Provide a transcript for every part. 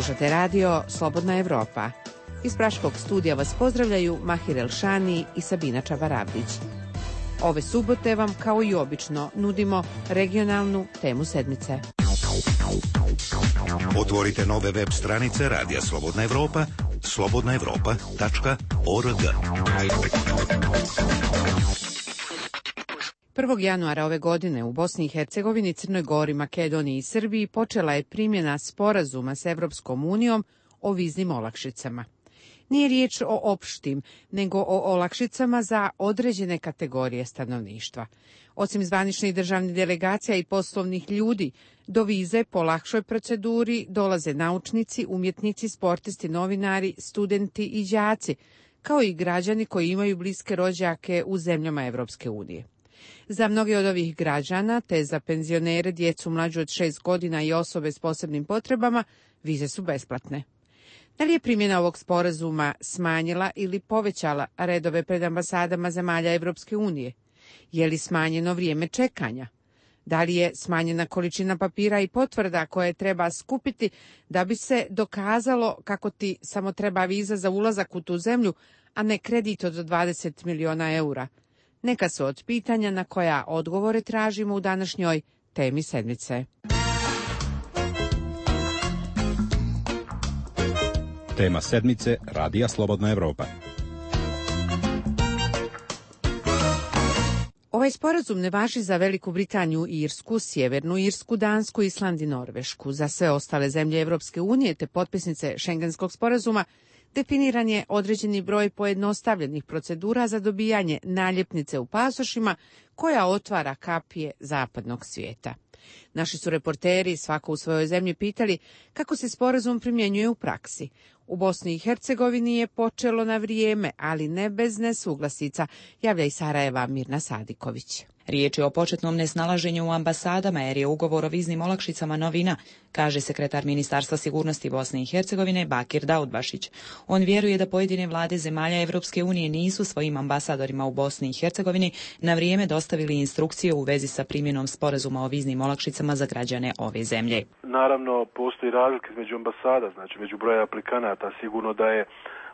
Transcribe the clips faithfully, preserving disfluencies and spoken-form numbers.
Slušate radio Slobodna Evropa. Iz Praškog studija vas pozdravljaju Mahir Elšani i Sabina Čabarabdić. Ove subote vam, kao i obično, nudimo regionalnu temu sedmice. Otvorite nove web stranice Radija Slobodna Evropa, slobodna evropa tačka org. prvog januara ove godine u Bosni i Hercegovini, Crnoj Gori, Makedoniji i Srbiji počela je primjena sporazuma s Evropskom unijom o viznim olakšicama. Nije riječ o opštim, nego o olakšicama za određene kategorije stanovništva. Osim zvaničnih državnih delegacija i poslovnih ljudi, do vize po lakšoj proceduri dolaze naučnici, umjetnici, sportisti, novinari, studenti i đaci, kao i građani koji imaju bliske rođake u zemljama Evropske unije. Za mnoge od ovih građana, te za penzionere, djecu mlađu od šest godina i osobe s posebnim potrebama, vize su besplatne. Da li je primjena ovog sporazuma smanjila ili povećala redove pred ambasadama zemalja Evropske unije? Je li smanjeno vrijeme čekanja? Da li je smanjena količina papira i potvrda koje treba skupiti da bi se dokazalo kako ti samo treba viza za ulazak u tu zemlju, a ne kredit od dvadeset miliona eura? Neka su od pitanja na koja odgovore tražimo u današnjoj temi sedmice. Tema sedmice Radija Slobodna Evropa. Ovaj sporazum ne važi za Veliku Britaniju i Irsku, Sjevernu Irsku, Dansku, Island i Norvešku. Za sve ostale zemlje Evropske unije te potpisnice Šengenskog sporazuma definiran je određeni broj pojednostavljenih procedura za dobijanje naljepnice u pasošima koja otvara kapije zapadnog svijeta. Naši su reporteri, svako u svojoj zemlji, pitali kako se sporazum primjenjuje u praksi. U Bosni i Hercegovini je počelo na vrijeme, ali ne bez nesuglasica, javlja iz Sarajeva Mirna Sadiković. Riječ je o početnom nesnalaženju u ambasadama jer je ugovor o viznim olakšicama novina, kaže sekretar Ministarstva sigurnosti Bosne i Hercegovine Bakir Daudbašić. On vjeruje da pojedine vlade zemalja Evropske unije nisu svojim ambasadorima u Bosni i Hercegovini na vrijeme dostavili instrukcije u vezi sa primjenom sporazuma o viznim olakšicama za građane ove zemlje. Naravno, postoji razlika između ambasada, znači među broja aplikanata. Sigurno da je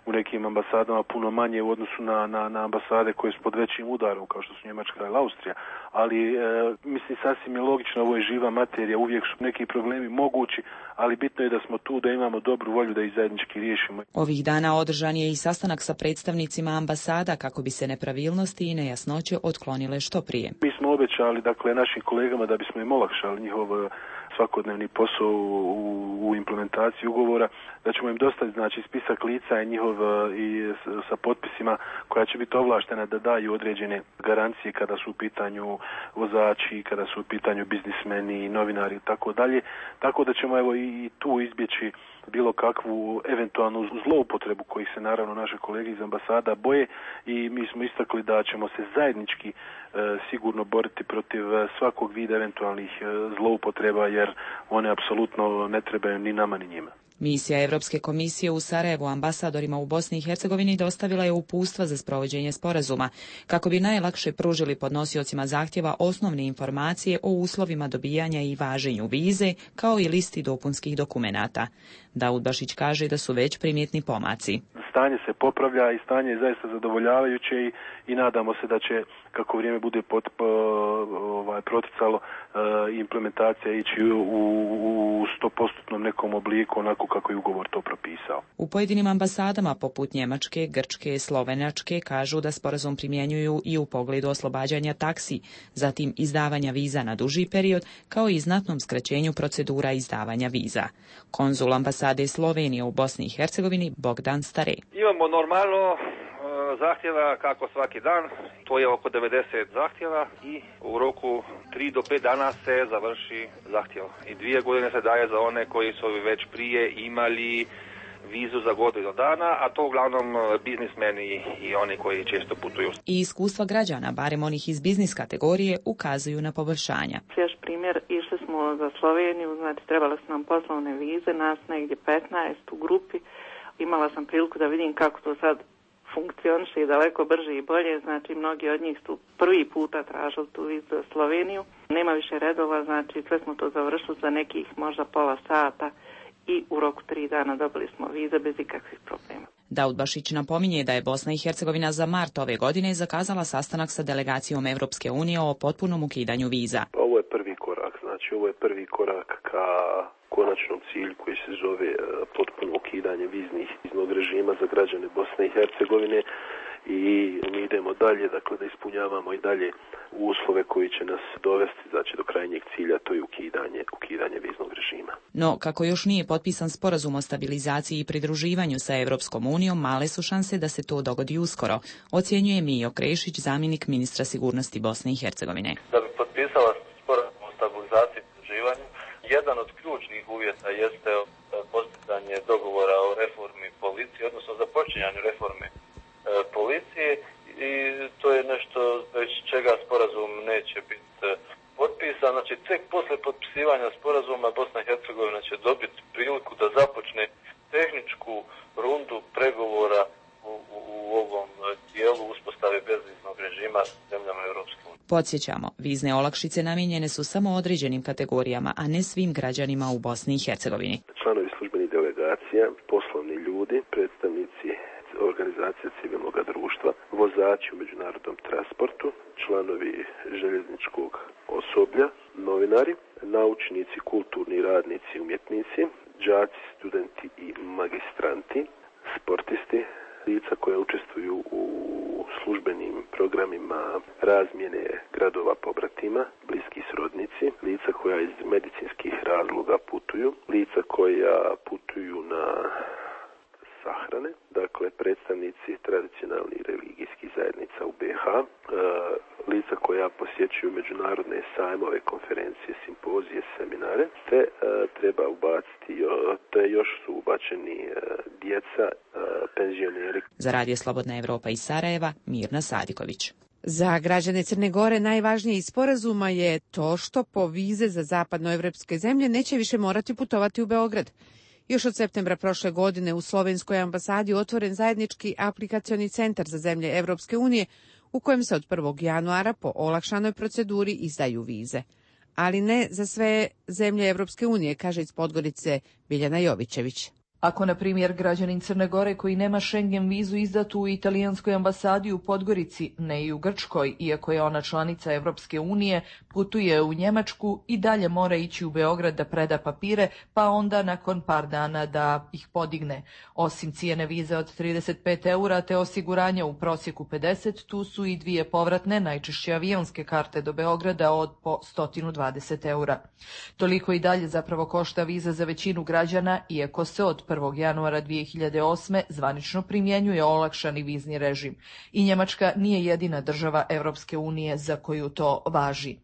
u nekim ambasadama puno manje u odnosu na, na, na ambasade koje su pod većim udarom, kao što su Njemačka ili Austrija. Ali, e, mislim, sasvim je logično, ovo je živa materija, uvijek su neki problemi mogući, ali bitno je da smo tu, da imamo dobru volju da ih zajednički riješimo. Ovih dana održan je i sastanak sa predstavnicima ambasada kako bi se nepravilnosti i nejasnoće otklonile što prije. Mi smo obećali, dakle, našim kolegama da bismo im olakšali njihov svakodnevni posao u, u implementaciji ugovora, da ćemo im dostaviti, znači, spisak lica i njihov i sa potpisima koja će biti ovlaštena da daju određene garancije kada su u pitanju vozači, kada su u pitanju biznismeni, novinari i tako dalje. Tako da ćemo evo i tu izbjeći bilo kakvu eventualnu zloupotrebu kojih se naravno naše kolege iz ambasada boje i mi smo istakli da ćemo se zajednički e, sigurno boriti protiv svakog vida eventualnih e, zloupotreba jer one apsolutno ne trebaju ni nama ni njima. Misija Evropske komisije u Sarajevu ambasadorima u Bosni i Hercegovini dostavila je uputstva za sprovođenje sporazuma, kako bi najlakše pružili podnosiocima zahtjeva osnovne informacije o uslovima dobijanja i važenju vize, kao i listi dopunskih dokumenata. Daudbašić kaže da su već primjetni pomaci. Stanje se popravlja i stanje je zaista zadovoljavajuće i, i nadamo se da će, kako vrijeme bude pot, po, ovaj, proticalo, e, implementacija ići u, u sto posto nekom obliku, onako kako je ugovor to propisao. U pojedinim ambasadama, poput Njemačke, Grčke, Slovenačke, kažu da sporazum primjenjuju i u pogledu oslobađanja taksi, zatim izdavanja viza na duži period, kao i znatnom skraćenju procedura izdavanja viza. Konzul ambasade Slovenije u Bosni i Hercegovini Bogdan Stare. Imamo normalno zahtjeva kako svaki dan, to je oko devedeset zahtjeva i u roku tri do pet dana se završi zahtjev. I dvije godine se daje za one koji su već prije imali vizu za godinu dana, a to uglavnom biznismeni i oni koji često putuju. I iskustva građana, barem onih iz biznis kategorije, ukazuju na poboljšanja. Još primjer, išli smo za Sloveniju, znači trebali su nam poslovne vize, nas negdje petnaest u grupi. Imala sam priliku da vidim kako to sad funkcioniše i daleko brže i bolje, znači mnogi od njih su prvi puta tražili tu vizu za Sloveniju. Nema više redova, znači sve smo to završili za nekih možda pola sata i u roku tri dana dobili smo vize bez ikakvih problema. Daudbašić napominje da je Bosna i Hercegovina za mart ove godine zakazala sastanak sa delegacijom Evropske unije o potpunom ukidanju viza. Ovo je prvi korak, znači ovo je prvi korak ka konačnom cilju koji se zove potpuno ukidanje viznih viznog režima za građane Bosne i Hercegovine i mi idemo dalje, dakle da ispunjavamo i dalje uslove koji će nas dovesti znači do krajnjeg cilja, to je ukidanje, ukidanje viznog režima. No, kako još nije potpisan sporazum o stabilizaciji i pridruživanju sa Evropskom unijom, male su šanse da se to dogodi uskoro, ocjenjuje Mijo Krešić, zamjenik ministra sigurnosti Bosne i Hercegovine. Da bi potpisala sporazum o stabilizaciji i pridruživanju, jedan od ključnih uvjeta jeste postizanje dogovora o reformi policije, odnosno započinjanju reforme policije i to je nešto bez čega sporazum neće biti potpisan. Znači, tek posle potpisivanja sporazuma Bosna i Hercegovina će dobiti priliku da započne tehničku rundu pregovora u, u, u ovom dijelu uspostave bezviznog režima s zemljama Europske unije. Podsjećamo, vizne olakšice namijenjene su samo određenim kategorijama, a ne svim građanima u Bosni i Hercegovini. Članovi službenih delegacija, poslovni ljudi, predstavnici organizacije civilnog društva, vozači u međunarodnom transportu, članovi željezničkog osoblja, novinari, naučnici, kulturni radnici, umjetnici, đaci, studenti i magistranti, sportisti, lica koja učestvuju u službenim programima razmjene gradova pobratima, bliski srodnici, lica koja iz medicinskih razloga putuju, lica koja putuju na sahrane, dakle predstavnici tradicionalnih religijskih zajednica u be ha, e, lica koja posjećuju međunarodne sajmove, konferencije, simpozije, seminare, te e, treba ubaciti, te još su ubačeni e, djeca, e, penzioneri. Za Radio Slobodna Evropa iz Sarajeva, Mirna Sadiković. Za građane Crne Gore najvažnije iz sporazuma je to što po vize za zapadnoevropske zemlje neće više morati putovati u Beograd. Još od septembra prošle godine u slovenskoj ambasadi otvoren zajednički aplikacioni centar za zemlje Evropske unije u kojem se od prvog januara po olakšanoj proceduri izdaju vize. Ali ne za sve zemlje Evropske unije, kaže iz Podgorice Biljana Jovićević. Ako, na primjer, građanin Crne Gore koji nema Schengen vizu izdatu u italijanskoj ambasadi u Podgorici, ne i u Grčkoj, iako je ona članica Evropske unije, putuje u Njemačku i dalje mora ići u Beograd da preda papire, pa onda nakon par dana da ih podigne. Osim cijene vize od trideset pet eura te osiguranja u prosjeku pedeset, tu su i dvije povratne, najčešće avionske karte do Beograda od po sto dvadeset eura. Toliko i dalje zapravo košta viza za većinu građana, iako se od prvog januara dvije hiljade osme zvanično primjenjuje olakšani vizni režim. I Njemačka nije jedina država Evropske unije za koju to važi.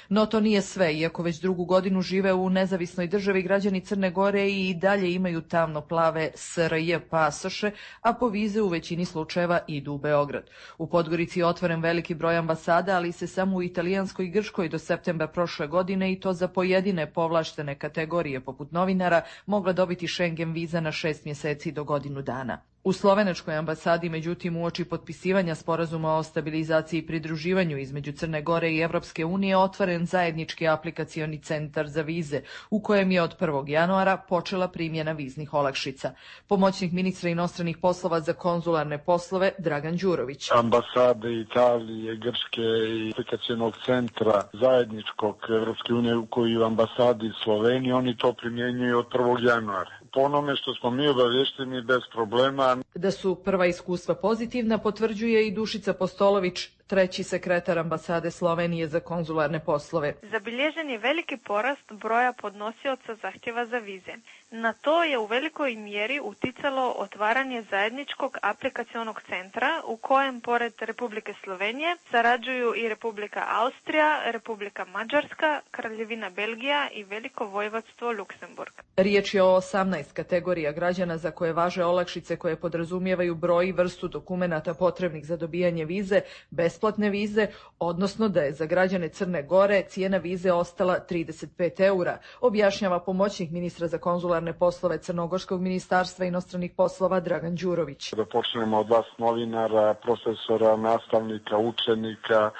No to nije sve, iako već drugu godinu žive u nezavisnoj državi, građani Crne Gore i dalje imaju tamno-plave es er je pasoše, a po vize u većini slučajeva idu u Beograd. U Podgorici je otvoren veliki broj ambasada, ali se samo u italijanskoj i grčkoj do septembra prošle godine i to za pojedine povlaštene kategorije poput novinara mogla dobiti Schengen viza na šest mjeseci do godinu dana. U slovenačkoj ambasadi, međutim, uoči potpisivanja sporazuma o stabilizaciji i pridruživanju između Crne Gore i Evropske unije otvoren zajednički aplikacioni centar za vize, u kojem je od prvog januara počela primjena viznih olakšica. Pomoćnik ministra inostranih poslova za konzularne poslove Dragan Đurović. Ambasade Italije, Grčke i aplikacionog centra zajedničkog Evropske unije u koju ambasadi Slovenije, oni to primjenjuju od prvog januara. Po onome što smo mi obavješteni bez problema. Da su prva iskustva pozitivna potvrđuje i Dušica Postolović, treći sekretar ambasade Slovenije za konzularne poslove. Zabilježen je veliki porast broja podnosioca zahtjeva za vize. Na to je u velikoj mjeri uticalo otvaranje zajedničkog aplikacionog centra u kojem pored Republike Slovenije sarađuju i Republika Austrija, Republika Mađarska, Kraljevina Belgija i Veliko Vojvodstvo Luksemburg. Riječ je o osamnaest kategorija građana za koje važe olakšice koje podrazumijevaju broj i vrstu dokumenata potrebnih za dobijanje vize, besplatne vize, odnosno da je za građane Crne Gore cijena vize ostala trideset pet eura, objašnjava pomoćnik ministra za konzularne poslove Crnogorskog ministarstva inostranih poslova Dragan Đurović. Da počnemo od vas novinara, profesora, nastavnika, učenika,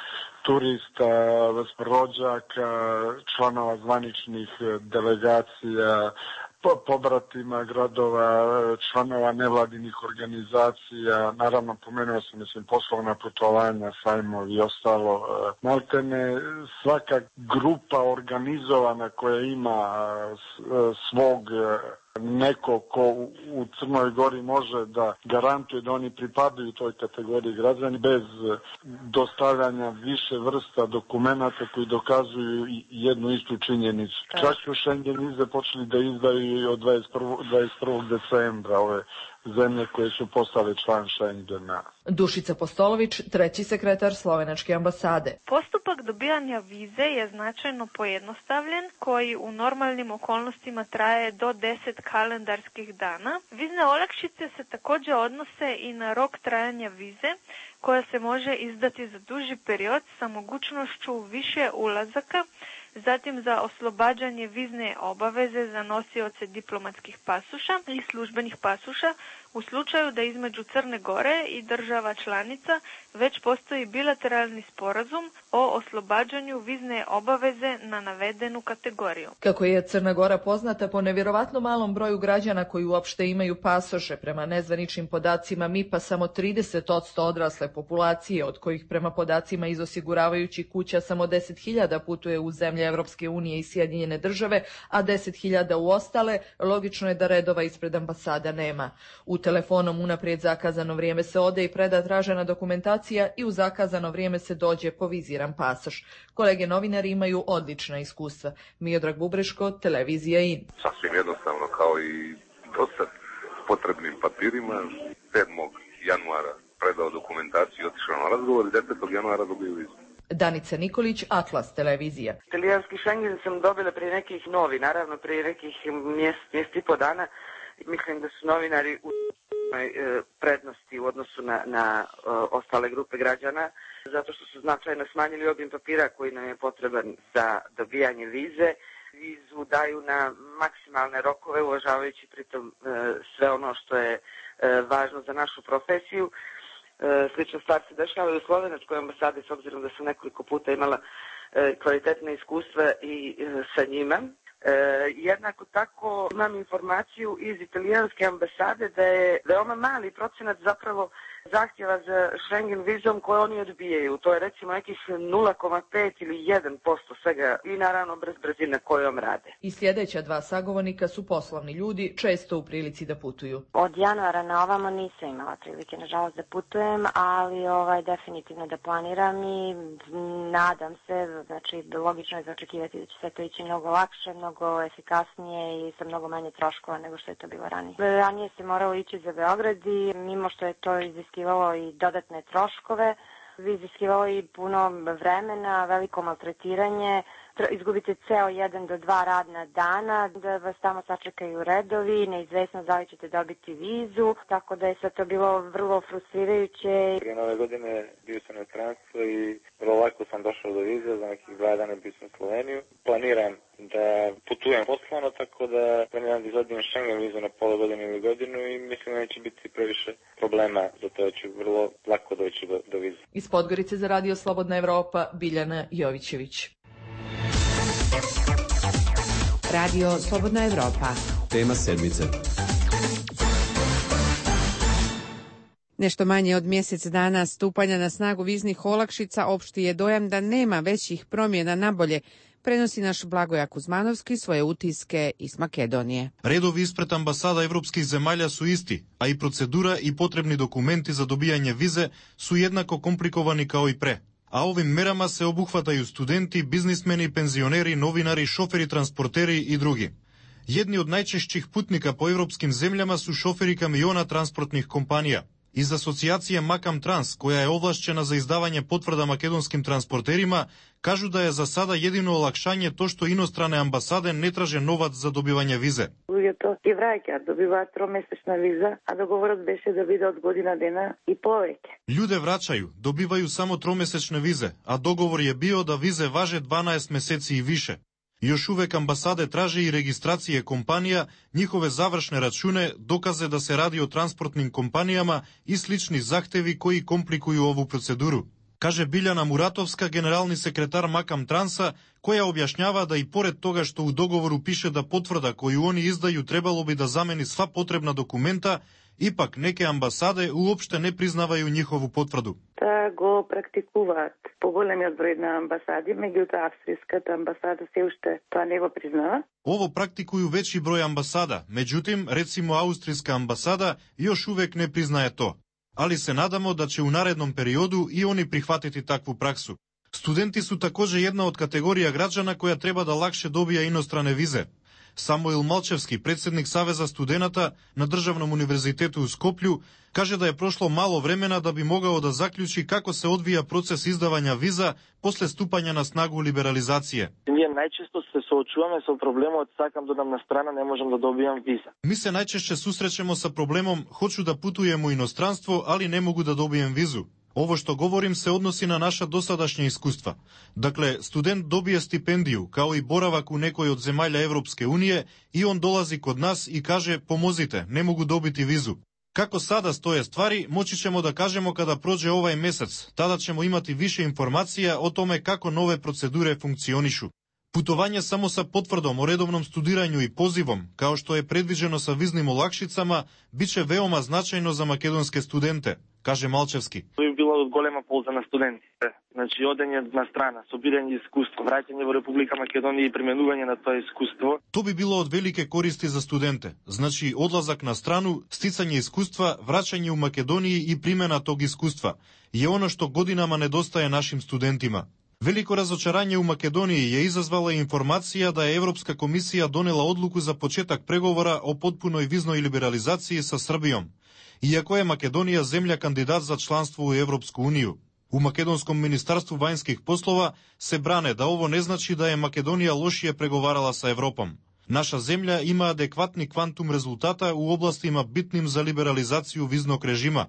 turista, rođaka, članova zvaničnih delegacija, pobratima gradova, članova nevladinih organizacija, naravno pomenuo sam, mislim, poslovna putovanja, sajmovi i ostalo. Maltene svaka grupa organizovana koja ima svog neko ko u Crnoj Gori može da garantuje da oni pripadaju toj kategoriji građani bez dostavljanja više vrsta dokumenata koji dokazuju jednu istu činjenicu. Čak su Schengen vize počeli da izdaju od dvadeset prvog decembra ove zemlje koje su postale član Schengena. Dušica Postolović, treći sekretar Slovenačke ambasade. Postupak dobijanja vize je značajno pojednostavljen, koji u normalnim okolnostima traje do deset kalendarskih dana. Vizne olakšice se također odnose i na rok trajanja vize, koja se može izdati za duži period sa mogućnošću više ulazaka, zatim za oslobađanje vizne obaveze za nosioce diplomatskih pasuša i službenih pasuša u slučaju da između Crne Gore i država članica već postoji bilateralni sporazum o oslobađanju vizne obaveze na navedenu kategoriju. Kako je Crna Gora poznata po nevjerovatno malom broju građana koji uopšte imaju pasoše, prema nezvaničnim podacima M I P-a samo trideset posto odrasle populacije, od kojih prema podacima iz osiguravajućih kuća samo deset hiljada putuje u zemlje Evropske unije i Sjedinjene države, a deset hiljada u ostale, logično je da redova ispred ambasada nema. U telefonom unaprijed zakazano vrijeme se ode i preda tražena dokumentacija i u zakazano vrijeme se dođe po viziran pasoš. Kolege novinari imaju odlična iskustva. Miodrag Bubreško, televizija I N. Sasvim jednostavno, kao i dosad, s potrebnim papirima. sedmog januara predao dokumentaciju i otišao na razgovor i desetog januara dobio vizu. Danica Nikolić, Atlas televizija. Italijanski Schengen sam dobila prije nekih novi, naravno prije nekih mjesec, mjesec i po dana. Mislim da su novinari u prednosti u odnosu na, na uh, ostale grupe građana, zato što su značajno smanjili obim papira koji nam je potreban za dobijanje vize. Vizu daju na maksimalne rokove, uvažavajući pritom uh, sve ono što je uh, važno za našu profesiju. Uh, slična stvar se dešava i u Slovenačkoj ambasadi, s obzirom da sam nekoliko puta imala uh, kvalitetne iskustva i uh, sa njima. E, jednako tako imam informaciju iz italijanske ambasade da je veoma mali procenat zapravo zahtjeva za Schengen vizom koje oni odbijaju. To je recimo nekih nula zarez pet ili jedan posto svega i naravno brz brzina kojom rade. I sljedeća dva sagovornika su poslovni ljudi, često u prilici da putuju. Od januara na ovamo nisam imala prilike, nažalost, da putujem, ali ovaj, definitivno da planiram i nadam se, znači logično je za očekivati da će sve to ići mnogo lakše, mnogo efikasnije i sa mnogo manje troškova nego što je to bilo ranije. Ranije se moralo ići za Beograd i mimo što je to iziskivalo i dodatne troškove, iziskivalo i puno vremena, veliko maltretiranje, izgubite ceo jedan do dva radna dana, da vas tamo sačekaju redovi, neizvesno da li ćete dobiti vizu, tako da je sve to bilo vrlo frustrirajuće. Prije nove godine bio sam na inostranstvu i vrlo lako sam došao do vize, za nekih dva dana bio sam u Sloveniju. Planiram da putujem poslovno, tako da planiram da izvodim Schengen vizu na pola godine ili godinu i mislim da neće biti previše problema, zato ću vrlo lako doći do, do vize. Iz Podgorice za Radio Slobodna Evropa, Biljana Jovićević. Radio Slobodna Evropa. Tema sedmice. Nešto manje od mjesec dana stupanja na snagu viznih olakšica opšti je dojam da nema većih promjena na bolje, prenosi naš Blagoja Kuzmanovski svoje utiske iz Makedonije. Redovi ispred ambasada evropskih zemalja su isti, a i procedura i potrebni dokumenti za dobijanje vize su jednako komplikovani kao i pre. A ovim merama se obuhvataju studenti, biznismeni, penzioneri, novinari, šoferi, transporteri i drugi. Jedni od najčešćih putnika po evropskim zemljama su šoferi kamiona transportnih kompanija. Iz asocijacije Makam Trans, koja je ovlašćena za izdavanje potvrda makedonskim transporterima, kažu da je za sada jedino olakšanje to što inostrane ambasade ne traže novac za dobivanje vize. Луѓето ги враќаат, добиваат тромесечна виза, а договорот беше да биде од година дена и повеќе. Ljude vraćaju, dobivaju samo tromesečne vize, a dogovor je bio da vize važe dvanaest meseci i više. Još uvek ambasade traže i registracije kompanija, njihove završne račune, dokaze da se radi o transportnim kompanijama i slični zahtevi koji komplikuju ovu proceduru. Каже Билјана Муратовска, генерални секретар Макам Транса, која објашњава да и поред тога што у договору пише да потврда коju они издају требало би да замени сва потребна документа, ипак неке амбасаде уопште не признавају нjihovu потврду. Да го практикуваат поголемиот број на амбасади, меѓутоа австриската амбасада се уште тоа не го признава. Ово практикују веќи број амбасада, меѓутим, рецимо аустријска амбасада још увек не признае то. Али се надамо да ќе у наредном периоду и они прихватити такву праксу. Студенти су такоже една од категорија граѓана која треба да лакше добија иностране визе. Самуил Малчевски, председник Савеза студената на Државном универзитету у Скопју, каже да е прошло мало времена да би могao да заклучи како се одвија процес издавања виза после ступање на снагу либерализација. Ние најчесто се соочуваме со проблемот сакам да одам на страна, не можам да добијам виза. Ми се најчешće сусреќемо са проблемом хочу да путуjem у иностранство, али не могу да добиjem визу. Ово што говорим се односи на наша досадашња искуства. Дакле, студент добие стипендију, као и боравак у некој од земјаља Европске унije и он долази код нас и каже помозите, не могу добити визу. Како сада стоje ствари, мочи ćemo да кажемо када проđe овај месец, тада ćemo имати више информација о томе како нове процедуре функционишу. Путовање само са потврдом о редовном студирању и позивом, као што е предвиđено са визним олакшицама, биче веома значајно за македонске студенте, каже Малчевски. Тоа би било од голема полза на студентите. Значи, одење на страна, собирање искуство, враќање во Република Македонија и применување на тоа искуство. То би било од велике користи за студенте. Значи, одлазак на страну, стицање искуства, враќање у Македонија и примена тог искуства. Е оно што годинама недостае нашим студентима. Велико разочарање у Македонија ја изазвала информација да Европска комисија донела одлуку за почеток преговора о потпуној визној либерализација со Србијом, иако е Македонија земја кандидат за членство у Европску унију. У Македонском министарству вајнских послова се бране да ово не значи да е Македонија лошије преговарала со Европом. Наша земја има адекватни квантум резултата у областима битним за либерализацију визног режима,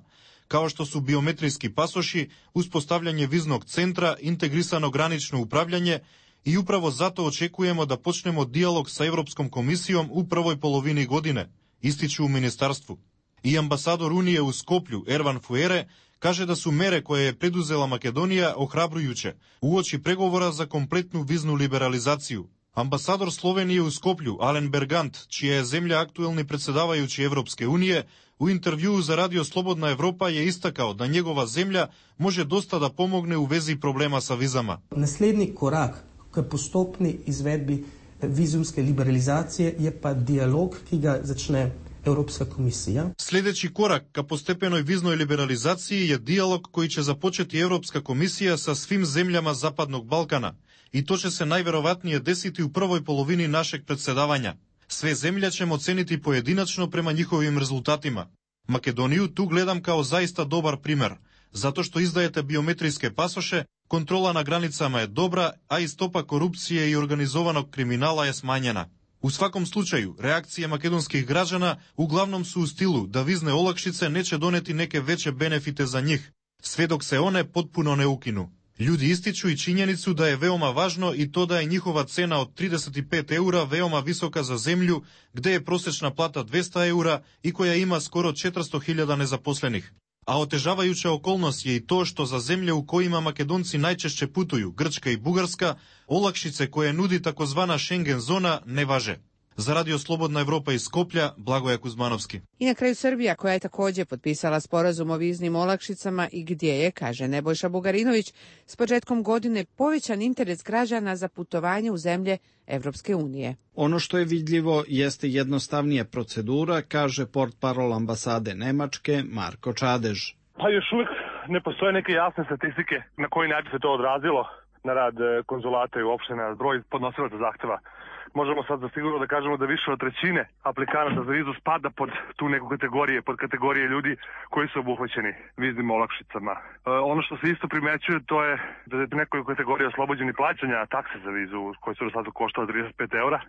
као што су биометриски пасоши, успостављање визног центра, интегрисано гранично управљање и управо затоа очекуваме да почнемо диалог со Европском комисијом у првој половини године, истичу у министарству. И амбасадор Унија у Скопју, Ерван Фуере, каже да су мере која е предузела Македонија охрабрујуче, уочи преговора за комплетну визну либерализацију. Амбасадор Словенија у Скопју, Ален Бергант, чија е земја актуелни председавајучи Европске унije, у интервјуу за Радио Слободна Европа ја истакал да негова земја може доста да помогне у вези проблема са визама. Наследни корак к постопни изведби визумske либерализација е па диалог ки га зачне Европска комисија. Следечи корак ка постепеној визној либерализација е диалог кој ќе започети Европска комисија со свим земјама Западnog Балкана и то ќе се најверојатнije десети у првој половини нашег председавања. Све земја ќе мо ценити поединачно према нjihovim резултатима. Македонију ту гледам као заиста добар пример, затоа што издаете биометриске пасоше, контрола на границама е добра, а и стопа корупција и организованог криминала е смањена. У сваком случају, реакција македонских граѓана углавном су у стилу да визне олакшице не ќе донети неке веќе бенефите за нив, сведок се оне потпуно не укину. Луѓе истичу и чињеницу да е веома важно и то да е njihova цена од тридесет и пет еура веома висока за земљу, где е просечна плата двеста еура и која има скоро четиристо илјади незапослених. А отежавајуча околност е и тоа што за земја у којима македонци најчешće путују, Грчка и Бугарска, олакшице која нуди такозвана Шенген зона не важе. За Радио Slobodna Evropa iz Skoplja, Blagoje Kuzmanovski. I na kraju Srbija, koja je također potpisala sporazum o viznim olakšicama i gdje je, kaže Nebojša Bugarinović, s početkom godine povećan interes građana za putovanje u zemlje Evropske unije. Ono što je vidljivo jeste jednostavnija procedura, kaže portparol ambasade Nemačke Marko Čadež. Pa još uvijek ne postoje neke jasne statistike na koji način se to odrazilo na rad konzulata i uopšte na broj podnosilaca zahteva. Možemo sad za sigurno da kažemo da više od trećine aplikanata za vizu spada pod tu neku kategorije, pod kategorije ljudi koji su obuhvaćeni viznim olakšicama. E, ono što se isto primećuje to je da je nekoj kategoriji oslobođeni plaćanja takse za vizu koji su do sada koštala trideset pet eura. E,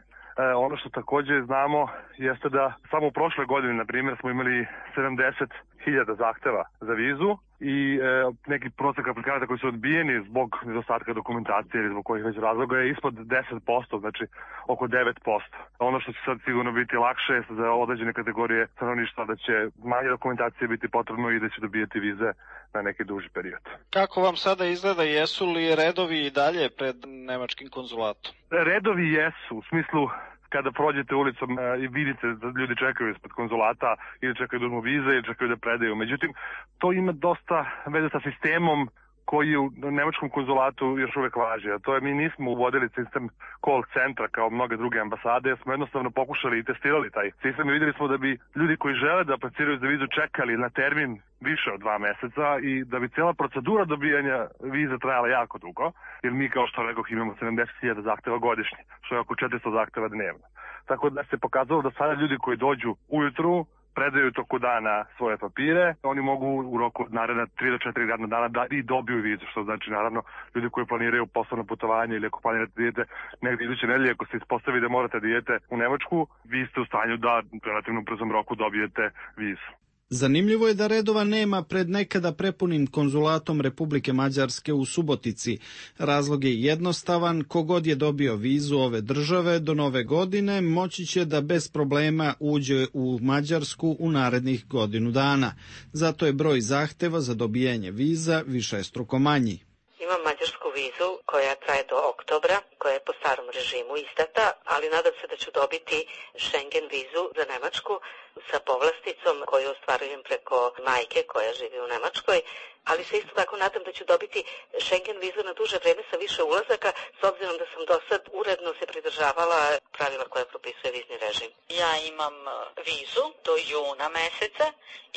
ono što također znamo jeste da samo u prošle godine, na primjer, smo imali sedamdeset hiljada zahteva za vizu i e, neki prosek aplikanata koji su odbijeni zbog nedostatka dokumentacije ili zbog kojih već razloga je ispod deset posto, znači oko devet posto. Ono što će sad sigurno biti lakše za određene kategorije stanovništva da će manje dokumentacije biti potrebno i da će dobijeti vize na neki duži period. Kako vam sada izgleda, jesu li redovi i dalje pred nemačkim konzulatom? Redovi jesu, u smislu kada prođete ulicom i vidite da ljudi čekaju ispred konzulata ili čekaju da uzmu vize ili čekaju da predaju. Međutim, to ima dosta veze sa sistemom koji u nemačkom konzulatu još uvek važi. A to je, mi nismo uvodili sistem call centra kao mnoge druge ambasade, jer smo jednostavno pokušali i testirali taj sistem i videli smo da bi ljudi koji žele da apliciraju za vizu čekali na termin više od dva meseca i da bi cijela procedura dobijanja viza trajala jako dugo, jer mi, kao što rekoh, imamo sedamdeset hiljada zahteva godišnje, što je oko četiristo zahteva dnevno. Tako da se pokazalo da sada ljudi koji dođu ujutru, predaju toku dana svoje papire, oni mogu u roku naredna tri do četiri radna dana da i dobiju vizu, što znači naravno ljudi koji planiraju poslovno putovanje ili ako planirate da idete negdje iduće nedelje, ako se ispostavi da morate da idete u Nemačku, vi ste u stanju da u relativno brzom roku dobijete vizu. Zanimljivo je da redova nema pred nekada prepunim konzulatom Republike Mađarske u Subotici. Razlog je jednostavan, kogod je dobio vizu ove države do nove godine moći će da bez problema uđe u Mađarsku u narednih godinu dana. Zato je broj zahteva za dobijanje viza višestruko manji. Imam mađarsku vizu koja traje do oktobra, koja je po starom režimu izdata, ali nadam se da ću dobiti Schengen vizu za Nemačku sa povlasticom koju ostvarujem preko majke koja živi u Nemačkoj, ali se isto tako nadam da ću dobiti Schengen vizu na duže vreme sa više ulazaka, s obzirom da sam do sad uredno se pridržavala pravila koja propisuje vizni režim. Ja imam vizu do juna meseca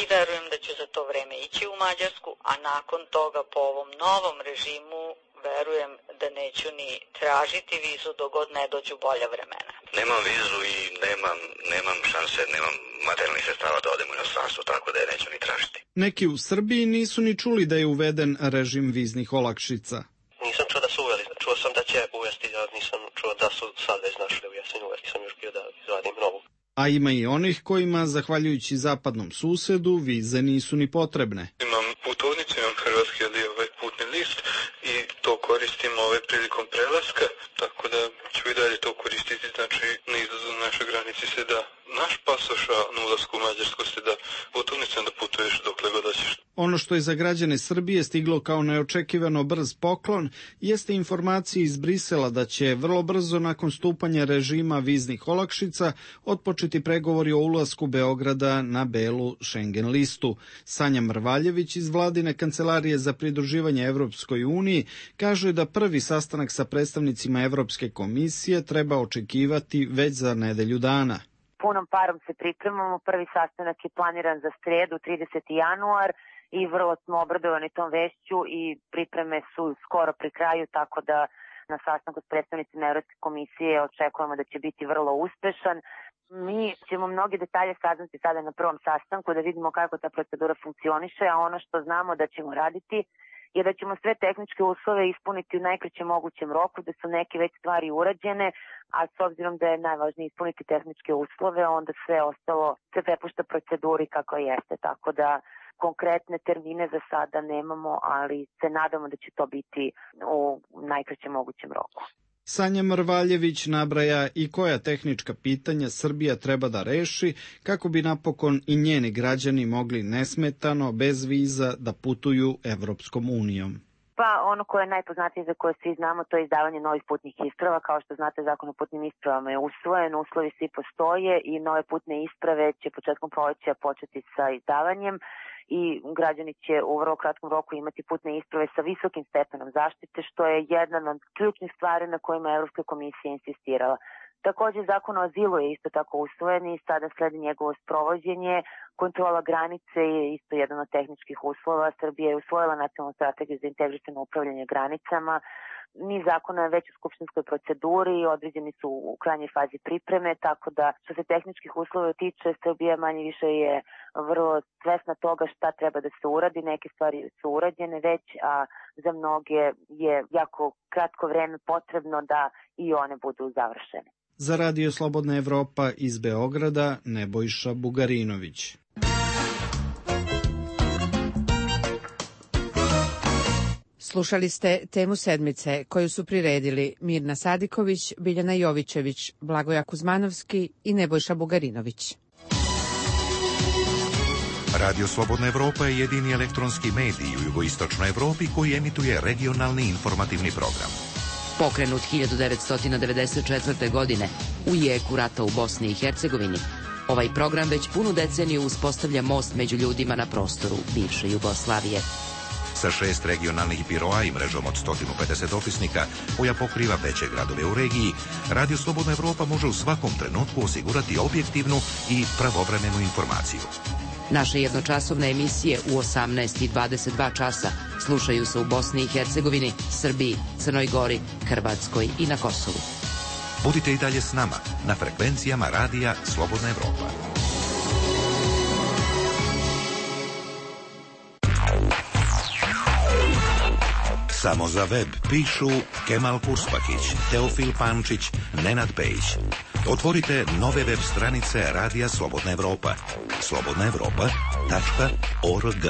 i verujem da ću za to vreme ići u Mađarsku, a nakon toga po ovom novom režimu verujem da neću ni tražiti vizu dok god ne dođu bolja vremena. Nemam vizu i nemam, nemam šanse, nemam materijalnih sredstava da odem u inostranstvo, tako da je neću ni tražiti. Neki u Srbiji nisu ni čuli da je uveden režim viznih olakšica. Nisam čuo da su uveli, čuo sam da će uvesti, ja nisam čuo da su sad već našli da uvesti uveli, nisam još bio da izvadim novu. A ima i onih kojima, zahvaljujući zapadnom susedu, vize nisu ni potrebne. Imam putovnicu, imam hrvatski ali ovaj putni list i to koristim ovaj prilikom prelaska, tako da ću i dalje to koristiti, znači na izlazu na našoj granici se da naš pasoš, a na ulasku u Mađarsku se da putovnica da putuješ dokle god hoćeš. Ono što je za građane Srbije stiglo kao neočekivano brz poklon jeste informacija iz Brisela da će vrlo brzo nakon stupanja režima viznih olakšica otpočeti pregovori o ulasku Beograda na belu Schengen listu. Sanja Mrvaljević iz vladine kancelarije za pridruživanje Evropskoj uniji kaže da prvi sastanak sa predstavnicima Evropske komisije treba očekivati već za nedelju dana. Punom parom se pripremamo, prvi sastanak je planiran za sredu, trideseti januar, i vrlo smo obradovani tom vešću i pripreme su skoro pri kraju, tako da na sastanku s predstavnicima Evropske komisije očekujemo da će biti vrlo uspešan. Mi ćemo mnogi detalje saznati sada na prvom sastanku da vidimo kako ta procedura funkcioniše, a ono što znamo da ćemo raditi je da ćemo sve tehničke uslove ispuniti u najkraćem mogućem roku, da su neke već stvari urađene, a s obzirom da je najvažnije ispuniti tehničke uslove, onda sve ostalo se prepušta proceduri kako jeste, tako da konkretne termine za sada nemamo, ali se nadamo da će to biti u najkraćem mogućem roku. Sanja Mrvaljević nabraja i koja tehnička pitanja Srbija treba da reši kako bi napokon i njeni građani mogli nesmetano, bez viza, da putuju Evropskom unijom. Pa ono koje je najpoznatije za koje svi znamo, to je izdavanje novih putnih isprava. Kao što znate, Zakon o putnim ispravama je usvojen, uslovi svi postoje i nove putne isprave će početkom proleća početi sa izdavanjem i građani će u vrlo kratkom roku imati putne isprave sa visokim stepenom zaštite, što je jedna od ključnih stvari na kojima je Evropska komisija insistirala. Također, Zakon o azilu je isto tako usvojen i sada sledi njegovo sprovođenje. Kontrola granice je isto jedan od tehničkih uslova. Srbija je usvojila nacionalnu strategiju za integrisano upravljanje granicama. Niz zakona je već u skupštinskoj proceduri i određeni su u krajnjoj fazi pripreme, tako da što se tehničkih uslova tiče, Srbija manje više je vrlo svesna toga šta treba da se uradi. Neke stvari su urađene već, a za mnoge je jako kratko vreme potrebno da i one budu završene. Za Radio Slobodna Evropa iz Beograda, Nebojša Bugarinović. Slušali ste temu sedmice koju su priredili Mirna Sadiković, Biljana Jovićević, Blagoja Kuzmanovski i Nebojša Bugarinović. Radio Slobodna Evropa je jedini elektronski medij u jugoistočnoj Evropi koji emituje regionalni informativni program. Pokrenut hiljadu devetsto devedeset četvrte. godine u jeku rata u Bosni i Hercegovini, ovaj program već punu deceniju uspostavlja most među ljudima na prostoru bivše Jugoslavije. Sa šest regionalnih biroa i mrežom od sto pedeset opisnika, koja pokriva veće gradove u regiji, Radio Slobodna Evropa može u svakom trenutku osigurati objektivnu i pravovremenu informaciju. Naše jednočasovne emisije u osamnaest i dvadeset dva časa slušaju se u Bosni i Hercegovini, Srbiji, Crnoj Gori, Hrvatskoj i na Kosovu. Budite i dalje s nama na frekvencijama Radija Slobodna Evropa. Samo za web pišu Kemal Kurspakić, Teofil Pančić, Nenad Pejić. Otvorite nove web stranice Radija Slobodna Evropa. slobodna evropa tačka org.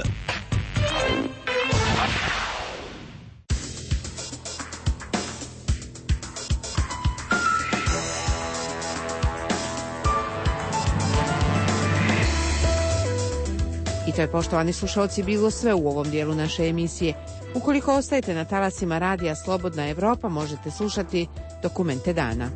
I to je, poštovani slušalci, bilo sve u ovom dijelu naše emisije. Ukoliko ostajete na talasima Radija Slobodna Evropa, možete slušati Dokumente dana.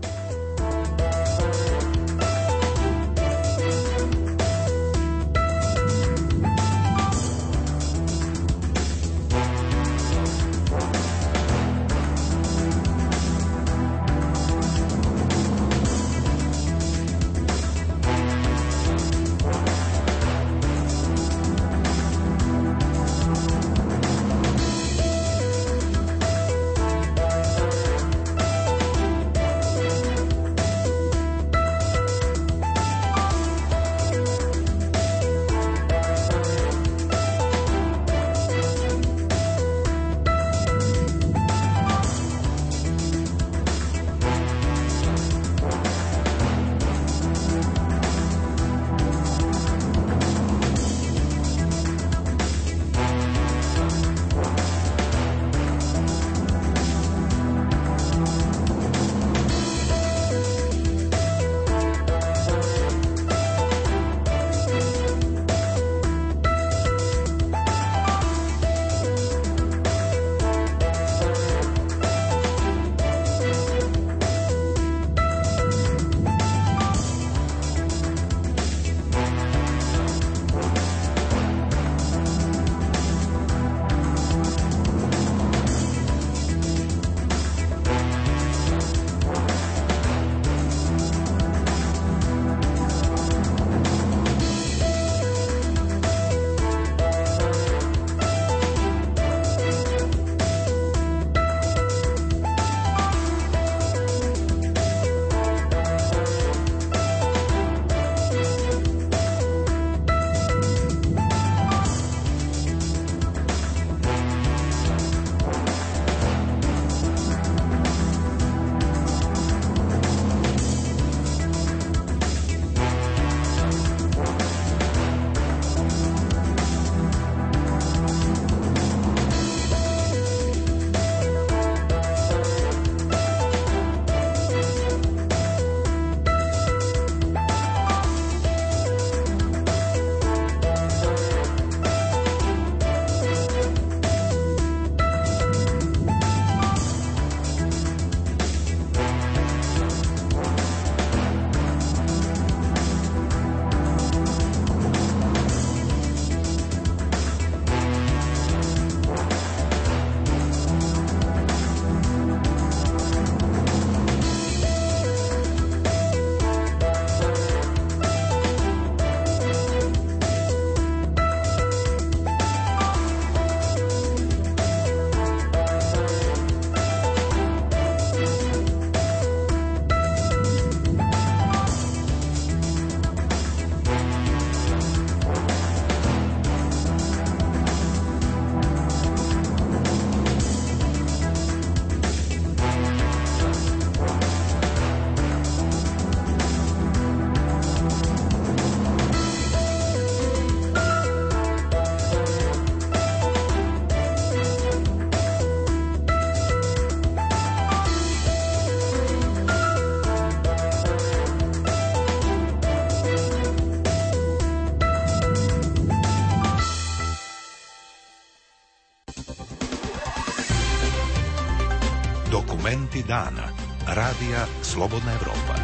Dokumenti dana. Radija Slobodna Evropa.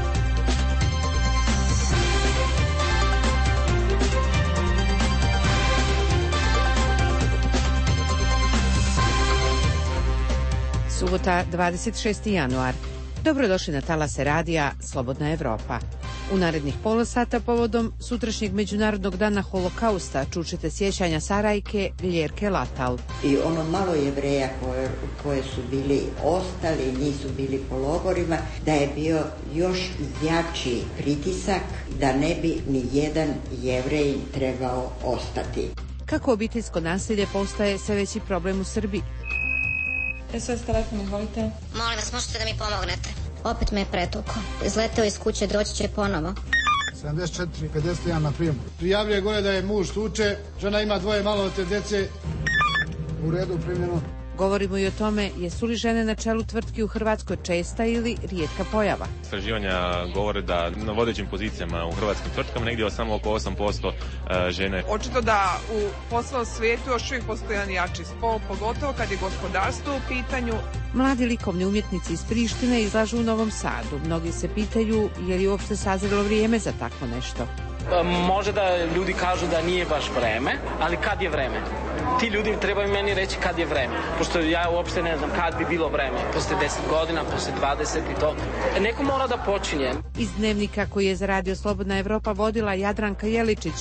Subota, dvadeset šesti januar. Dobrodošli na talase radija Slobodna Evropa. U narednih pola sata povodom sutrašnjeg Međunarodnog dana holokausta čućete sjećanja Sarajke Ljerke Latal. I ono malo Jevreja koje, koje su bili ostali, nisu bili po logorima, da je bio još jači pritisak da ne bi ni jedan Jevrej trebao ostati. Kako obiteljsko nasilje postaje sve veći problem u Srbiji? S O S telefon, izvolite. Molim vas, možete da mi pomognete? Opet me je pretukao. Izleteo iz kuće, doći će ponovo. sedamdeset četiri pedeset jedan na prijemu. Prijavljuje gore da je muž tuče, žena ima dvoje maloletne djece. U redu, primljeno. Govorimo i o tome jesu li žene na čelu tvrtki u Hrvatskoj česta ili rijetka pojava. Istraživanja govore da na vodećim pozicijama u hrvatskim tvrtkama negdje samo oko osam posto žene. Očito da u poslovnom svijetu još uvijek postoji jedan jači spol, pogotovo kad je gospodarstvo u pitanju. Mladi likovni umjetnici iz Prištine izlažu u Novom Sadu. Mnogi se pitaju je li uopšte sazrelo vrijeme za takvo nešto. Može da ljudi kažu da nije baš vreme, ali kad je vreme? Ti ljudi trebaju meni reći kad je vreme, pošto ja uopšte ne znam kad bi bilo vreme, posle deset godina, posle dvadeset i to. Neko mora da počinje. Iz dnevnika koji je za Radio Slobodna Evropa vodila Jadranka Jeličić,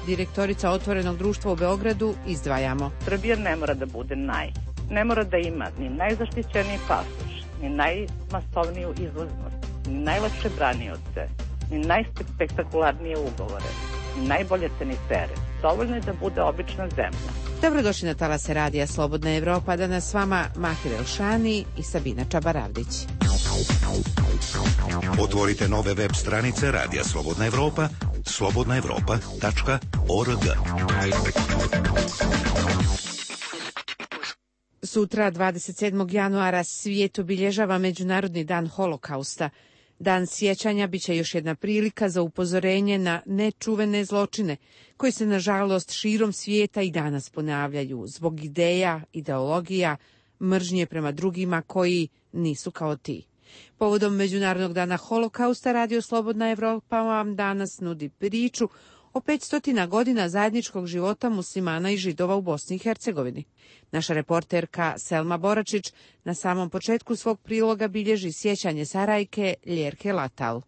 direktorica Otvorenog društva u Beogradu, izdvajamo. Srbija ne mora da bude naj, ne mora da ima ni najzaštićeniji pasoš, ni najmasovniju izvoznost, ni najlakše branioce, ni najspektakularnije ugovore, ni najbolje tenitere. Dovoljno je da bude obična zemlja. Dobrodošli na talase radija Slobodna Evropa, danas s vama Mahir Elšani i Sabina Čabaravdić. Otvorite nove web stranice Radija Slobodna Evropa, slobodna evropa tačka org. Sutra, dvadeset sedmog januara, svijet obilježava Međunarodni dan holokausta. Dan sjećanja biće još jedna prilika za upozorenje na nečuvene zločine koji se nažalost širom svijeta i danas ponavljaju zbog ideja, ideologija, mržnje prema drugima koji nisu kao ti. Povodom Međunarodnog dana holokausta Radio Slobodna Evropa vam danas nudi priču o petstotina godina zajedničkog života muslimana i židova u Bosni i Hercegovini. Naša reporterka Selma Boračić na samom početku svog priloga bilježi sjećanje Sarajke Ljerke Latal.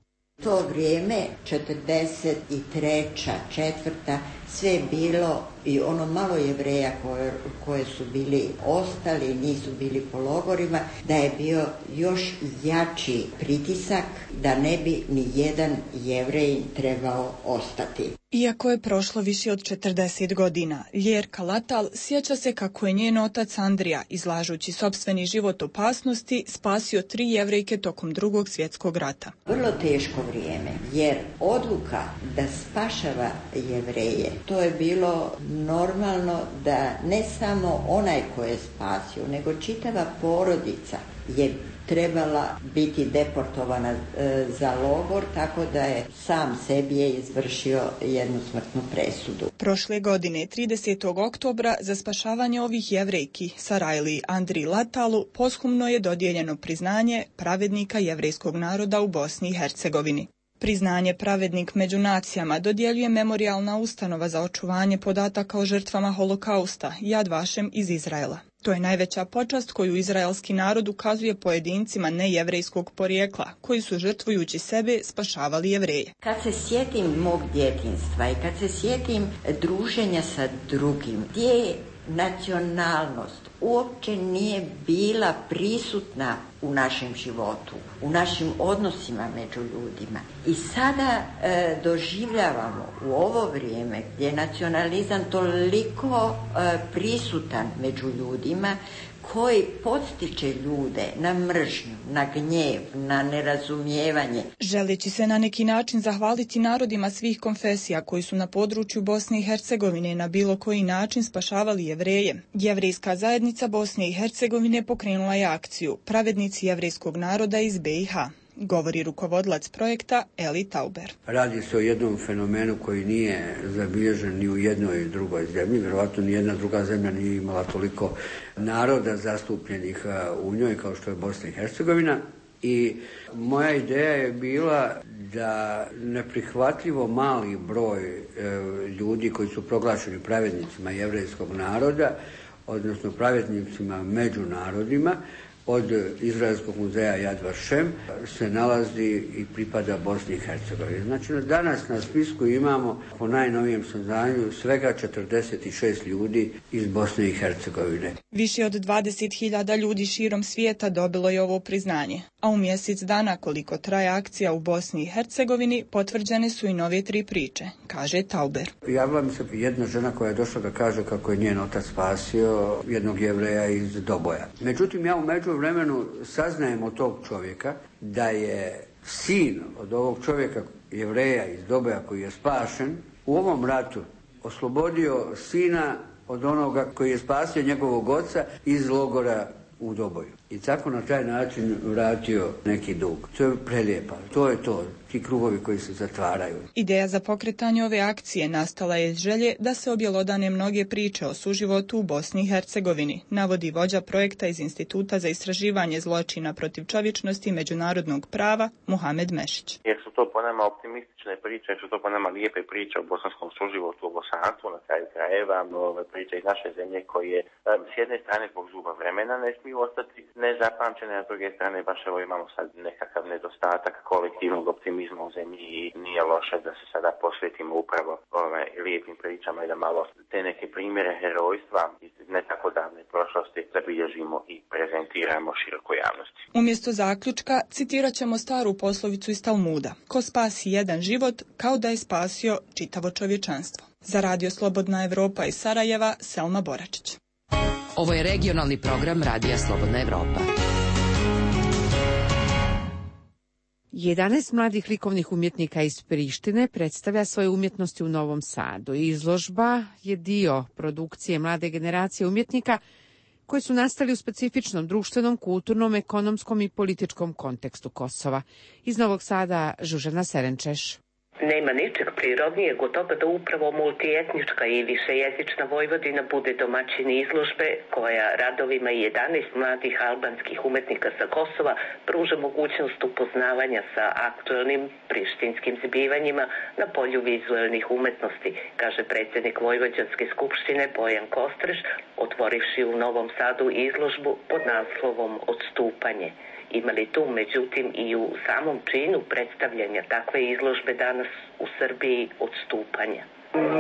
To vrijeme, četrdeset treća, četvrta, sve je bilo i ono malo Jevreja koje, koje su bili ostali, nisu bili po logorima, da je bio još jači pritisak da ne bi ni jedan Jevrej trebao ostati. Iako je prošlo više od četrdeset godina, Ljerka Latal sjeća se kako je njen otac Andrija, izlažući sopstveni život opasnosti, spasio tri Jevrejke tokom Drugog svjetskog rata. Vrlo teško vrijeme, jer odluka da spašava Jevreje, to je bilo normalno da ne samo onaj ko je spasio, nego čitava porodica je trebala biti deportovana e, za logor, tako da je sam sebi je izvršio jednu smrtnu presudu. Prošle godine, tridesetog oktobra, za spašavanje ovih Jevrejki, Sarajli Andri Latalu, posthumno je dodijeljeno priznanje pravednika jevrejskog naroda u Bosni i Hercegovini. Priznanje Pravednik među nacijama dodjeljuje Memorijalna ustanova za očuvanje podataka o žrtvama holokausta Yad Vashem iz Izraela. To je najveća počast koju izraelski narod ukazuje pojedincima nejevrejskog porijekla, koji su žrtvujući sebe spašavali Jevreje. Kad se sjetim mog djetinjstva i kad se sjetim druženja sa drugim, gdje nacionalnost uopće nije bila prisutna u našem životu, u našim odnosima među ljudima. I sada e, doživljavamo u ovo vrijeme gdje je nacionalizam toliko e, prisutan među ljudima, koji podstiče ljude na mržnju, na gnjev, na nerazumijevanje. Želeći se na neki način zahvaliti narodima svih konfesija koji su na području Bosne i Hercegovine na bilo koji način spašavali Jevreje, Jevrejska zajednica Bosne i Hercegovine pokrenula je akciju Pravednici jevrejskog naroda iz B i H. govori rukovodilac projekta Eli Tauber. Radi se o jednom fenomenu koji nije zabilježen ni u jednoj drugoj zemlji, vjerovatno ni jedna druga zemlja nije imala toliko naroda zastupljenih u njoj kao što je Bosna i Hercegovina. I moja ideja je bila da neprihvatljivo mali broj ljudi koji su proglašeni pravednicima jevrejskog naroda, odnosno pravednicima među narodima, od Izraelskog muzeja Yad Vashem se nalazi i pripada Bosni i Hercegovini. Znači, danas na spisku imamo, po najnovijem saznanju, svega četrdeset šest ljudi iz Bosne i Hercegovine. Više od dvadeset hiljada ljudi širom svijeta dobilo je ovo priznanje, a u mjesec dana koliko traje akcija u Bosni i Hercegovini potvrđene su i nove tri priče, kaže Tauber. Javila mi se jedna žena koja je došla da kaže kako je njen otac spasio jednog Jevreja iz Doboja. Međutim, ja u međuvremenu saznajem od tog čovjeka da je sin od ovog čovjeka Jevreja iz Doboja koji je spašen u ovom ratu oslobodio sina od onoga koji je spasio njegovog oca iz logora u Doboju. I tako na taj način vratio neki dug. To je prelijepa. To je to. Ti krugovi koji se zatvaraju. Ideja za pokretanje ove akcije nastala je iz želje da se objelodane mnoge priče o suživotu u Bosni i Hercegovini, navodi vođa projekta iz Instituta za istraživanje zločina protiv čovječnosti i međunarodnog prava Muhamed Mešić. Jer su to po nama optimistične priče, jer su to po nama lijepe priče o bosanskom suživotu, o bosanstvu na kraju krajeva, ove priče iz naše zemlje koje s jedne strane zbog zuba vremena ne smiju ostati nezapamćene, a s druge strane baš evo imamo sad nekakav nedostatak kolektivnog optimizma u zemlji i nije loše da se sada posvetimo upravo ove lijepim pričama i da malo te neke primjere herojstva iz ne tako davne prošlosti zabilježimo i prezentiramo širokoj javnosti. Umjesto zaključka citirat ćemo staru poslovicu iz Talmuda: ko spasi jedan život kao da je spasio čitavo čovječanstvo. Za Radio Slobodna Evropa iz Sarajeva, Selma Boračić. Ovo je regionalni program Radija Slobodna Evropa. jedanaest mladih likovnih umjetnika iz Prištine predstavlja svoje umjetnosti u Novom Sadu. Izložba je dio produkcije mlade generacije umjetnika koji su nastali u specifičnom društvenom, kulturnom, ekonomskom i političkom kontekstu Kosova. Iz Novog Sada, Žužana Serenčeš. Nema ničeg prirodnijeg od toga da upravo multietnička i višejezična Vojvodina bude domaćin izložbe koja radovima jedanaest mladih albanskih umetnika sa Kosova pruža mogućnost upoznavanja sa aktualnim prištinskim zbivanjima na polju vizualnih umetnosti, kaže predsjednik Vojvođanske skupštine Bojan Kostreš, otvorivši u Novom Sadu izložbu pod naslovom Odstupanje. Ima li tu, međutim, i u samom činu predstavljanja takve izložbe danas u Srbiji odstupanja?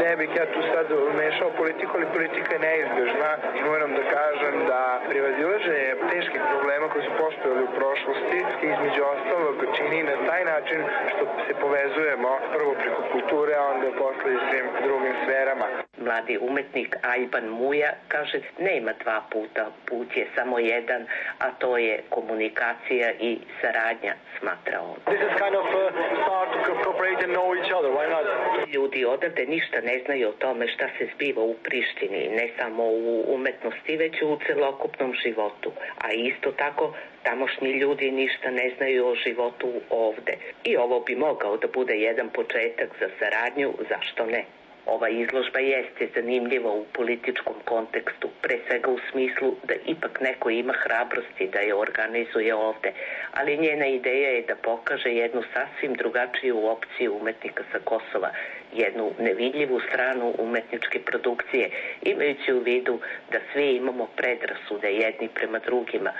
Ne bih ja tu sad umešao politiku, ali politika je neizbježna i moram da kažem da prevazilaženje teških problema koji su postojali u prošlosti između ostalog čini na taj način što se povezujemo prvo preko kulture, a onda posle i svim drugim sferama. Mladi umetnik Ajban Muja kaže nema dva puta, put je samo jedan, a to je komunikacija i saradnja, smatra on. This is kind of a start to cooperate and know each other, why not? Ljudi odavde ništa ne znaju o tome šta se zbiva u Prištini, ne samo u umetnosti, već u celokupnom životu. A isto tako, tamošnji ljudi ništa ne znaju o životu ovde. I ovo bi mogao da bude jedan početak za saradnju, zašto ne? Ova izložba jeste zanimljiva u političkom kontekstu, pre svega u smislu da ipak neko ima hrabrosti da je organizuje ovde, ali njena ideja je da pokaže jednu sasvim drugačiju opciju umetnika sa Kosova, jednu nevidljivu stranu umetničke produkcije, imajući u vidu da svi imamo predrasude jedni prema drugima,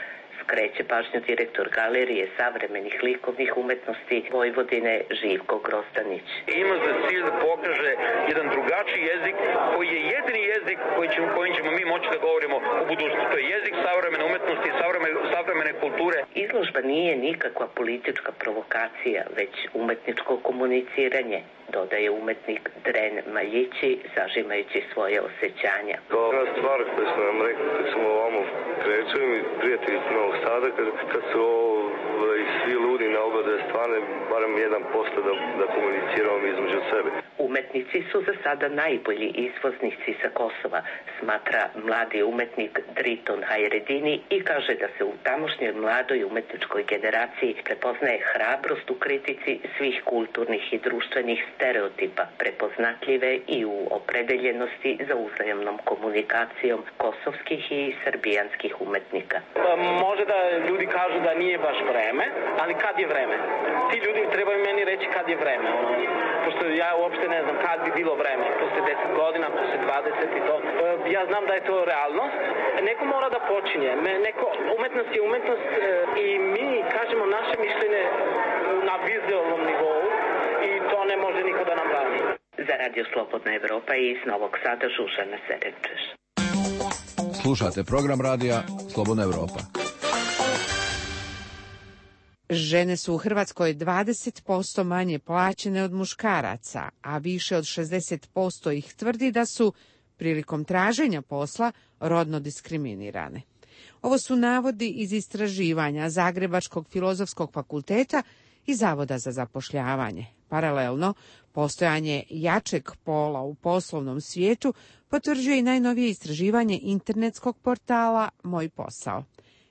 skreće pažnju direktor Galerije savremenih likovnih umetnosti Vojvodine Živko Grozdanić. Ima za cilj da pokaže jedan drugačiji jezik koji je jedini jezik koji ćemo, kojim ćemo mi moći da govorimo u budućnosti. To je jezik savremene umetnosti i savremene, savremene kulture. Izložba nije nikakva politička provokacija, već umetničko komuniciranje, dodaje umetnik Dren Maljići, zažimajući svoje osjećanja. Glavna stvar koju smo nam rekli kad smo ovamo krećeli, prijatelji Novog Sada, kad, kad su ovo ovaj, svi ludi na oba dve strane, barem jedan posto da, da komuniciramo između sebe. Umetnici su za sada najbolji izvoznici sa Kosova, smatra mladi umetnik Driton Hajredini i kaže da se u tamošnjoj mladoj umetničkoj generaciji prepoznaje hrabrost u kritici svih kulturnih i društvenih stereotipa, prepoznatljive i u opredeljenosti za uzajamnom komunikacijom kosovskih i srbijanskih umetnika. Pa, može da ljudi kažu da nije baš vreme, ali kad je vreme? Ti ljudi trebaju meni reći kad je vreme. Ono, pošto ja uopšte ne znam kad bi bilo vreme. Posle deset godina, posle dvadeset i to. Ja znam da je to realnost. Neko mora da počinje. Neko, umetnost je umetnost i mi kažemo naše mišljenje na vizualnom nivou i to ne može niko da nam brani. Za Radio Slobodna Evropa i iz Novog Sada Žužana Serenčeš. Slušate program radija Slobodna Evropa. Žene su u Hrvatskoj dvadeset posto manje plaćene od muškaraca, a više od šezdeset posto ih tvrdi da su prilikom traženja posla rodno diskriminirane. Ovo su navodi iz istraživanja Zagrebačkog filozofskog fakulteta i Zavoda za zapošljavanje. Paralelno, postojanje jačeg pola u poslovnom svijetu potvrđuje i najnovije istraživanje internetskog portala Moj posao.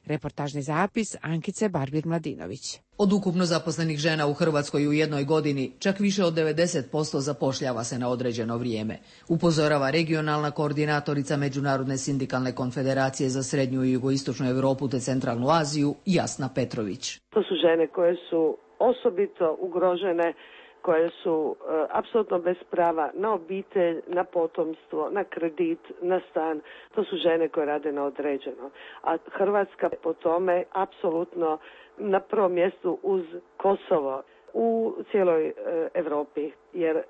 Reportažni zapis Ankice Barbir-Mladinović. Od ukupno zaposlenih žena u Hrvatskoj u jednoj godini čak više od devedeset posto zapošljava se na određeno vrijeme, upozorava regionalna koordinatorica Međunarodne sindikalne konfederacije za srednju i jugoistočnu Europu te centralnu Aziju Jasna Petrović. To su žene koje su osobito ugrožene, koje su e, apsolutno bez prava na obitelj, na potomstvo, na kredit, na stan. To su žene koje rade na određeno. A Hrvatska po tome apsolutno na prvom mjestu uz Kosovo u cijeloj e, Europi. Jer e,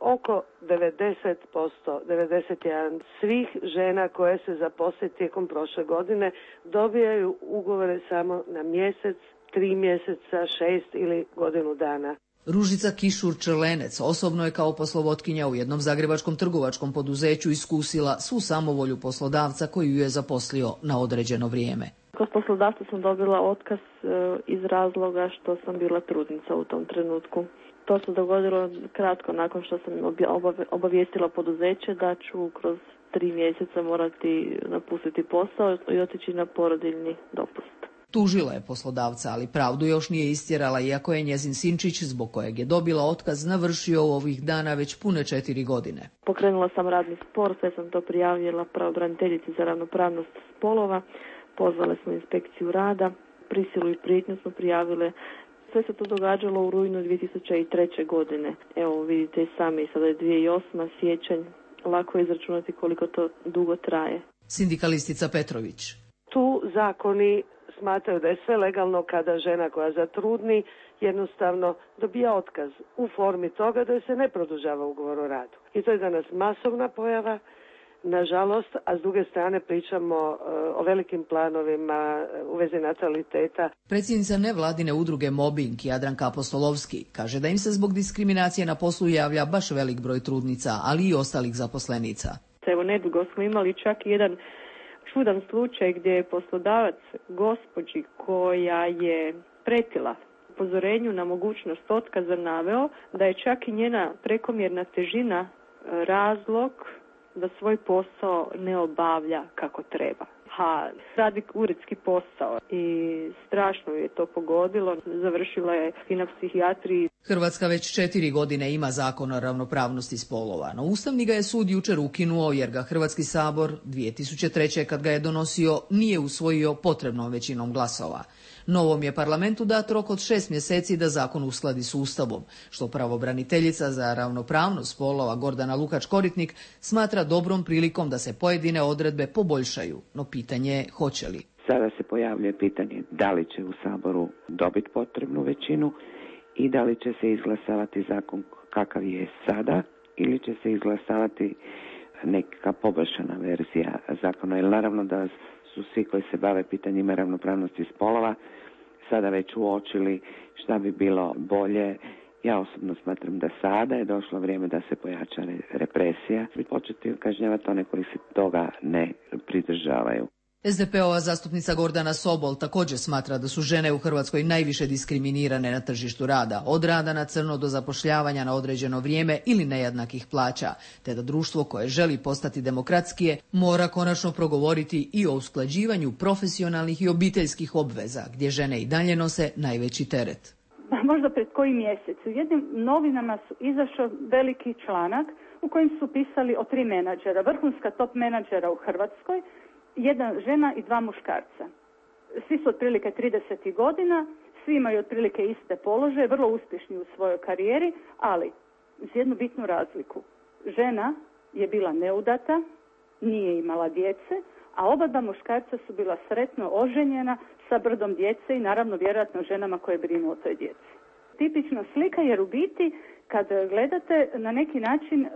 oko devedeset posto, devedeset jedan posto svih žena koje se zaposle tijekom prošle godine dobijaju ugovore samo na mjesec, tri mjeseca, šest ili godinu dana. Ružica Kišur-Črlenec osobno je kao poslovotkinja u jednom zagrebačkom trgovačkom poduzeću iskusila svu samovolju poslodavca koji ju je zaposlio na određeno vrijeme. Kod poslodavca sam dobila otkaz iz razloga što sam bila trudnica u tom trenutku. To se dogodilo kratko nakon što sam obavijestila poduzeće da ću kroz tri mjeseca morati napustiti posao i otići na porodiljni dopust. Tužila je poslodavca, ali pravdu još nije istjerala, iako je njezin sinčić, zbog kojeg je dobila otkaz, navršio ovih dana već pune četiri godine. Pokrenula sam radni spor, sve sam to prijavila pravobraniteljici za ravnopravnost spolova, pozvale smo inspekciju rada, prisilu i prijetnju smo prijavile. Sve se to događalo u rujnu dvije tisuće treće. godine. Evo vidite i sami, sada je dvije tisuće osma. siječanj, lako je izračunati koliko to dugo traje. Sindikalistica Petrović. Tu zakoni smatraju da je sve legalno kada žena koja zatrudni jednostavno dobija otkaz u formi toga da se ne produžava ugovor o radu. I to je danas masovna pojava, nažalost, a s druge strane pričamo uh, o velikim planovima u vezi nataliteta. Predsjednica nevladine udruge Mobbing Jadranka Apostolovski kaže da im se zbog diskriminacije na poslu javlja baš velik broj trudnica, ali i ostalih zaposlenica. Evo, nedugo smo imali čak jedan čudan slučaj gdje je poslodavac gospođi koja je pretila upozorenju na mogućnost otkaza naveo da je čak i njena prekomjerna težina razlog da svoj posao ne obavlja kako treba. Ha, radi uredski posao i strašno je to pogodilo. Završila je i na psihijatriji. Hrvatska već četiri godine ima zakon o ravnopravnosti spolova, no Ustavni ga je sud jučer ukinuo jer ga Hrvatski sabor dvije tisuće treće. kad ga je donosio nije usvojio potrebnom većinom glasova. Novom je parlamentu dat rok od šest mjeseci da zakon uskladi s Ustavom, što pravobraniteljica za ravnopravnost spolova Gordana Lukač-Koritnik smatra dobrom prilikom da se pojedine odredbe poboljšaju, no pitanje je hoće li. Sada se pojavljuje pitanje da li će u Saboru dobiti potrebnu većinu i da li će se izglasavati zakon kakav je sada ili će se izglasavati neka poboljšana verzija zakona. Jer naravno da su svi koji se bave pitanjima ravnopravnosti spolova sada već uočili šta bi bilo bolje. Ja osobno smatram da sada je došlo vrijeme da se pojača represija i početi kažnjavati one koji se toga ne pridržavaju. es de pe ova zastupnica Gordana Sobol također smatra da su žene u Hrvatskoj najviše diskriminirane na tržištu rada, od rada na crno do zapošljavanja na određeno vrijeme ili nejednakih plaća, te da društvo koje želi postati demokratskije mora konačno progovoriti i o usklađivanju profesionalnih i obiteljskih obveza, gdje žene i dalje nose najveći teret. Možda pred koji mjesec u jednim novinama su izašao veliki članak u kojem su pisali o tri menadžera, vrhunska top menadžera u Hrvatskoj, jedna žena i dva muškarca. Svi su otprilike trideset godina, svi imaju otprilike iste položaje, vrlo uspješni u svojoj karijeri, ali uz jednu bitnu razliku. Žena je bila neudata, nije imala djece, a oba dva muškarca su bila sretno oženjena sa brdom djece i naravno vjerojatno ženama koje brinu o toj djeci. Tipična slika jer u biti kad gledate na neki način e,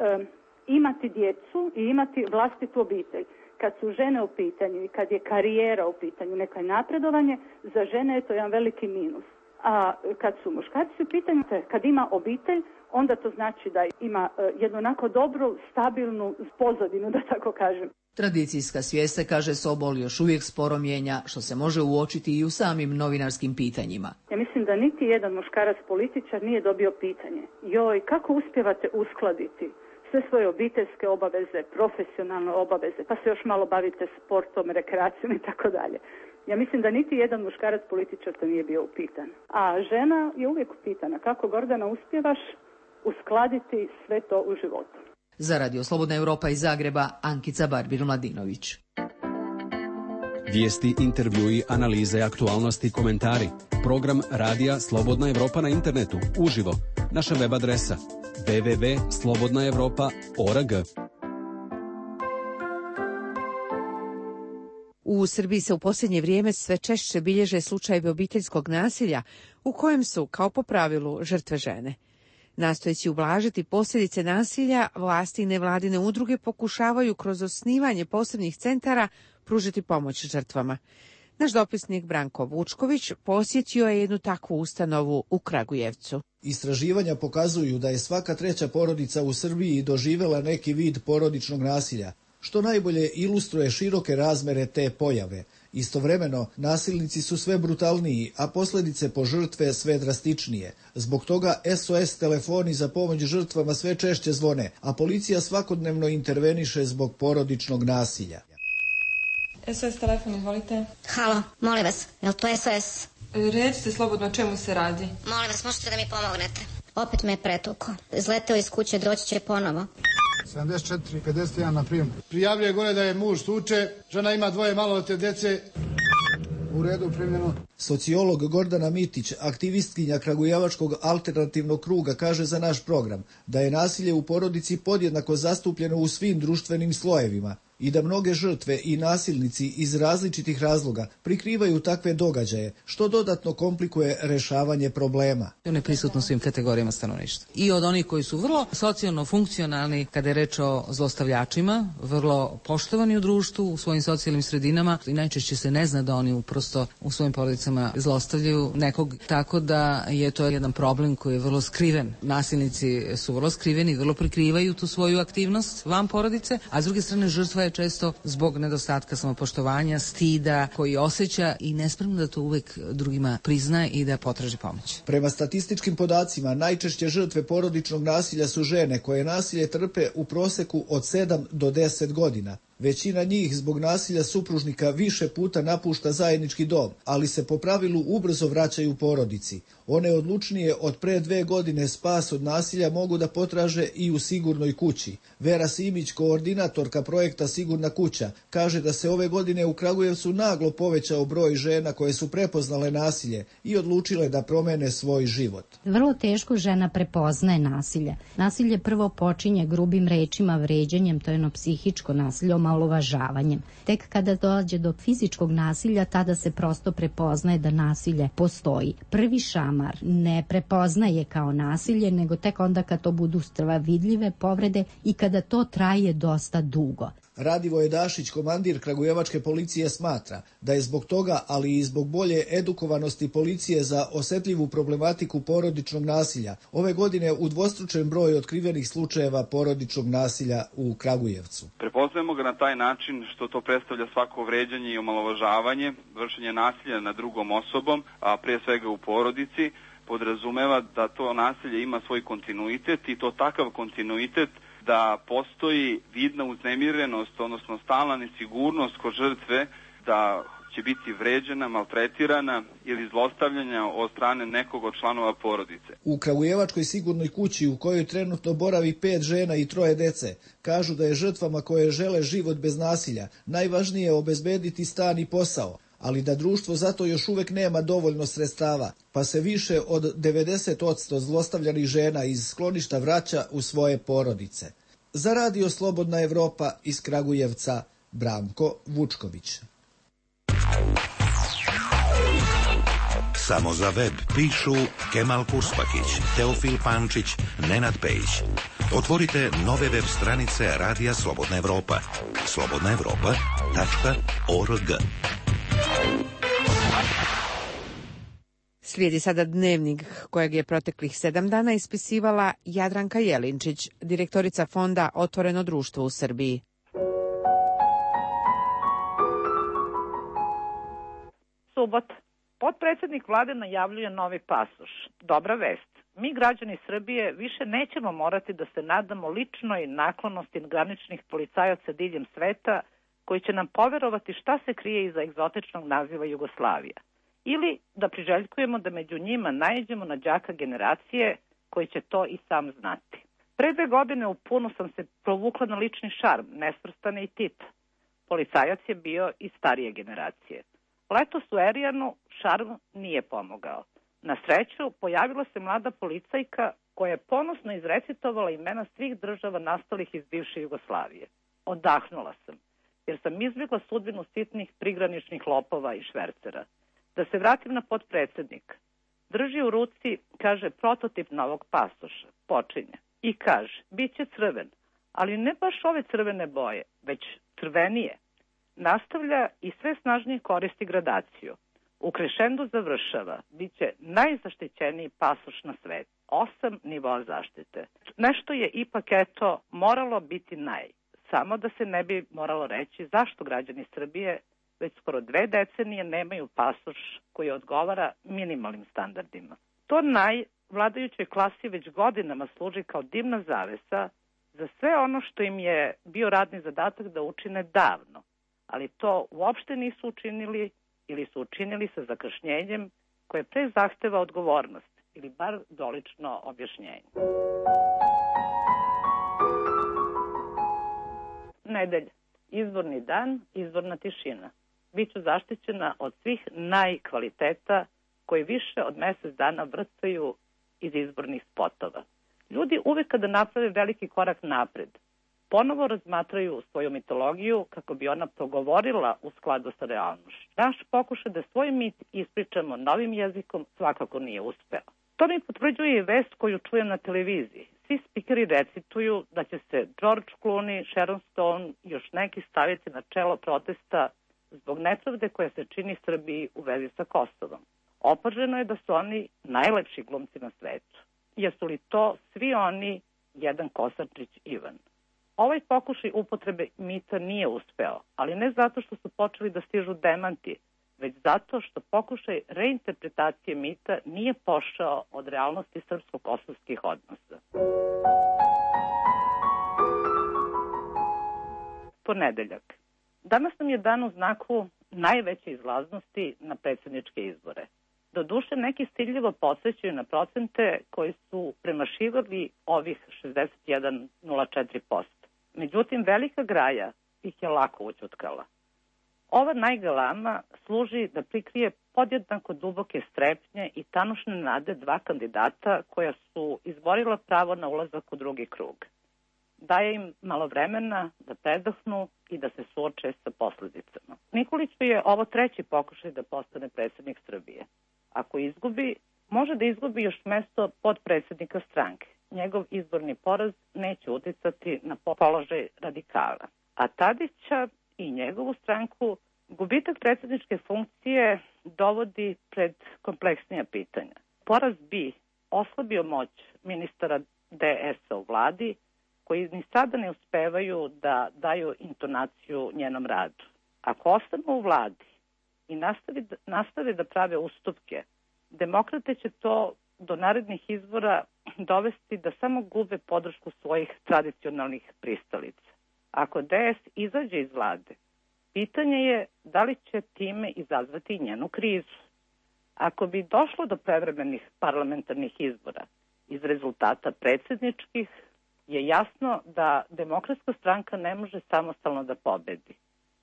imati djecu i imati vlastitu obitelj. Kad su žene u pitanju i kad je karijera u pitanju, neko napredovanje, za žene je to jedan veliki minus. A kad su muškarci u pitanju, kad ima obitelj, onda to znači da ima jednu onako dobru, stabilnu pozadinu, da tako kažem. Tradicijska svijest se, kaže Sobol, još uvijek sporo mijenja, što se može uočiti i u samim novinarskim pitanjima. Ja mislim da niti jedan muškarac političar nije dobio pitanje. Joj, kako uspijevate uskladiti sve svoje obiteljske obaveze, profesionalne obaveze, pa se još malo bavite sportom, rekreacijom i tako dalje. Ja mislim da niti jedan muškarac političar to nije bio upitan. A žena je uvijek upitana. Kako, Gordana, uspijevaš uskladiti sve to u životu? Za Radio Slobodna Europa iz Zagreba, Ankica Barbir-Mladinović. Vijesti, intervjui, analize, aktualnosti, komentari. Program Radija Slobodna Europa na internetu, uživo. Naša web adresa w w w dot slobodna europa dot org. U Srbiji se u posljednje vrijeme sve češće bilježe slučajevi obiteljskog nasilja u kojem su, kao po pravilu, žrtve žene. Nastojeći ublažiti posljedice nasilja, vlasti i nevladine udruge pokušavaju kroz osnivanje posebnih centara pružiti pomoć žrtvama. Naš dopisnik Branko Vučković posjetio je jednu takvu ustanovu u Kragujevcu. Istraživanja pokazuju da je svaka treća porodica u Srbiji doživjela neki vid porodičnog nasilja, što najbolje ilustruje široke razmere te pojave. Istovremeno, nasilnici su sve brutalniji, a posljedice po žrtve sve drastičnije. Zbog toga S O S telefoni za pomoć žrtvama sve češće zvone, a policija svakodnevno interveniše zbog porodičnog nasilja. S O S telefon, izvolite. Halo, molim vas, je li to S O S? Recite slobodno o čemu se radi. Molim vas, možete da mi pomognete. Opet me je pretukao. Izleteo iz kuće, doći će ponovo. sedamdeset četiri pedeset jedan na prijem. Prijavljuje gore da je muž tuče, žena ima dvoje maloletne djece. U redu, primljeno. Sociolog Gordana Mitić, aktivistkinja Kragujevačkog alternativnog kruga, kaže za naš program da je nasilje u porodici podjednako zastupljeno u svim društvenim slojevima i da mnoge žrtve i nasilnici iz različitih razloga prikrivaju takve događaje, što dodatno komplikuje rešavanje problema. On je prisutno svim kategorijama stanovništva. I od onih koji su vrlo socijalno funkcionalni kada je reč o zlostavljačima, vrlo poštovani u društvu, u svojim socijalnim sredinama i najčešće se ne zna da oni prosto u svojim porodicama zlostavljaju nekog, tako da je to jedan problem koji je vrlo skriven. Nasilnici su vrlo skriveni, vrlo prikrivaju tu svoju aktivnost van porodice, a s druge strane žrtva je često zbog nedostatka samopoštovanja, stida koji osjeća i nespremno da to uvek drugima priznaje i da potraži pomoć. Prema statističkim podacima, najčešće žrtve porodičnog nasilja su žene koje nasilje trpe u proseku od sedam do deset godina. Većina njih zbog nasilja supružnika više puta napušta zajednički dom, ali se po pravilu ubrzo vraćaju porodici. One odlučnije od pre dve godine spas od nasilja mogu da potraže i u sigurnoj kući. Vera Simić, koordinatorka projekta Sigurna kuća, kaže da se ove godine u Kragujevcu naglo povećao broj žena koje su prepoznale nasilje i odlučile da promene svoj život. Vrlo teško žena prepoznaje nasilje. Nasilje prvo počinje grubim rečima, vređanjem, to je jedno psihičko nasilje, omalovažavanjem. Tek kada dođe do fizičkog nasilja, tada se prosto prepoznaje da nasilje postoji. Prvi šamar ne prepoznaje kao nasilje, nego tek onda kad to budu strva vidljive povrede i kada to traje dosta dugo. Radivoje Dašić, komandir kragujevačke policije, smatra da je zbog toga, ali i zbog bolje edukovanosti policije za osetljivu problematiku porodičnog nasilja, ove godine udvostručen broj otkrivenih slučajeva porodičnog nasilja u Kragujevcu. Prepoznajemo ga na taj način što to predstavlja svako vređanje i omalovažavanje, vršenje nasilja nad drugom osobom, a pre svega u porodici, podrazumeva da to nasilje ima svoj kontinuitet i to takav kontinuitet da postoji vidna uznemirenost, odnosno stalna nesigurnost kod žrtve da će biti vređena, maltretirana ili zlostavljanja od strane nekog od članova porodice. U Kragujevačkoj sigurnoj kući u kojoj trenutno boravi pet žena i troje dece, kažu da je žrtvama koje žele život bez nasilja najvažnije obezbediti stan i posao, ali da društvo zato još uvek nema dovoljno sredstava, pa se više od devedeset posto zlostavljanih žena iz skloništa vraća u svoje porodice. Za Radio Slobodna Evropa iz Kragujevca, Branko Vučković. Samo za web pišu Kemal Kurspakić, Teofil Pančić, Nenad Pejić. Otvorite nove web stranice Radija Slobodna Evropa. slobodna evropa tačka org. Slijedi sada dnevnik kojeg je proteklih sedam dana ispisivala Jadranka Jelinčić, direktorica fonda Otvoreno društvo u Srbiji. Subota. Potpredsjednik vlade najavljuje novi pasoš. Dobra vest. Mi, građani Srbije, više nećemo morati da se nadamo ličnoj naklonosti graničnih policajaca diljem sveta koji će nam poverovati šta se krije iza egzotičnog naziva Jugoslavija. Ili da priželjkujemo da među njima naiđemo na đaka generacije koji će to i sam znati. Pre dve godine u punu sam se provukla na lični šarm, Nesvrstane i Tita. Policajac je bio iz starije generacije. Letos u Erijanu šarm nije pomogao. Na sreću, pojavila se mlada policajka koja je ponosno izrecitovala imena svih država nastalih iz bivše Jugoslavije. Odahnula sam, jer sam izbjegla sudbinu sitnih prigraničnih lopova i švercera. Da se vratim na potpredsjednika. Drži u ruci, kaže, prototip novog pasoša. Počinje. I kaže, bit će crven, ali ne baš ove crvene boje, već crvenije. Nastavlja i sve snažnije koristi gradaciju. U krešendu završava, bit će najzaštićeniji pasoš na svetu. Osam nivoa zaštite. Nešto je ipak eto moralo biti naj. Samo da se ne bi moralo reći zašto građani Srbije već skoro dve decenije nemaju pasoš koji odgovara minimalnim standardima. To naj vladajućoj klasi već godinama služi kao dimna zavesa za sve ono što im je bio radni zadatak da učine davno, ali to uopšte nisu učinili ili su učinili sa zakašnjenjem koje pre zahteva odgovornost ili bar dolično objašnjenje. Nedelja. Izborni dan, izborna tišina. Biću zaštićena od svih najkvaliteta koji više od mjesec dana vrcaju iz izbornih spotova. Ljudi uvek kada naprave veliki korak napred, ponovo razmatraju svoju mitologiju kako bi ona progovorila u skladu sa realnošću. Naš pokušaj da svoj mit ispričamo novim jezikom svakako nije uspeo. To mi potvrđuje i vest koju čujem na televiziji. Svi spikeri recituju da će se George Clooney, Sharon Stone i još neki staviti na čelo protesta zbog nepravde koja se čini Srbiji u vezi sa Kosovom. Opaženo je da su oni najlepši glumci na svetu. Jesu li to svi oni jedan Kosančić Ivan? Ovaj pokušaj upotrebe mita nije uspeo, ali ne zato što su počeli da stižu demanti, već zato što pokušaj reinterpretacije mita nije pošao od realnosti srpsko-kosovskih odnosa. Ponedeljak. Danas nam je dan u znaku najveće izlaznosti na predsjedničke izbore. Doduše, neki stiljivo podsjećaju na procente koji su premašivali ovih šezdeset jedan zarez četiri posto. Međutim, velika graja ih je lako ućutkala. Ova najgalama služi da prikrije podjednako duboke strepnje i tanušne nade dva kandidata koja su izborila pravo na ulazak u drugi krug. Daje im malo vremena da predahnu i da se suoče sa posljedicama. Nikoliću je ovo treći pokušaj da postane predsjednik Srbije. Ako izgubi, može da izgubi još mesto podpredsjednika stranke. Njegov izborni poraz neće uticati na položaj radikala. A Tadića i njegovu stranku gubitak predsjedničke funkcije dovodi pred kompleksnija pitanja. Poraz bi oslabio moć ministara D S-a u vladi, koji ni sada ne uspevaju da daju intonaciju njenom radu. Ako ostanu u vladi i nastave, nastave da prave ustupke, demokrate će to do narednih izbora dovesti da samo gube podršku svojih tradicionalnih pristalica. Ako D S izađe iz vlade, pitanje je da li će time izazvati i njenu krizu. Ako bi došlo do prevremenih parlamentarnih izbora iz rezultata predsjedničkih, je jasno da Demokratska stranka ne može samostalno da pobedi.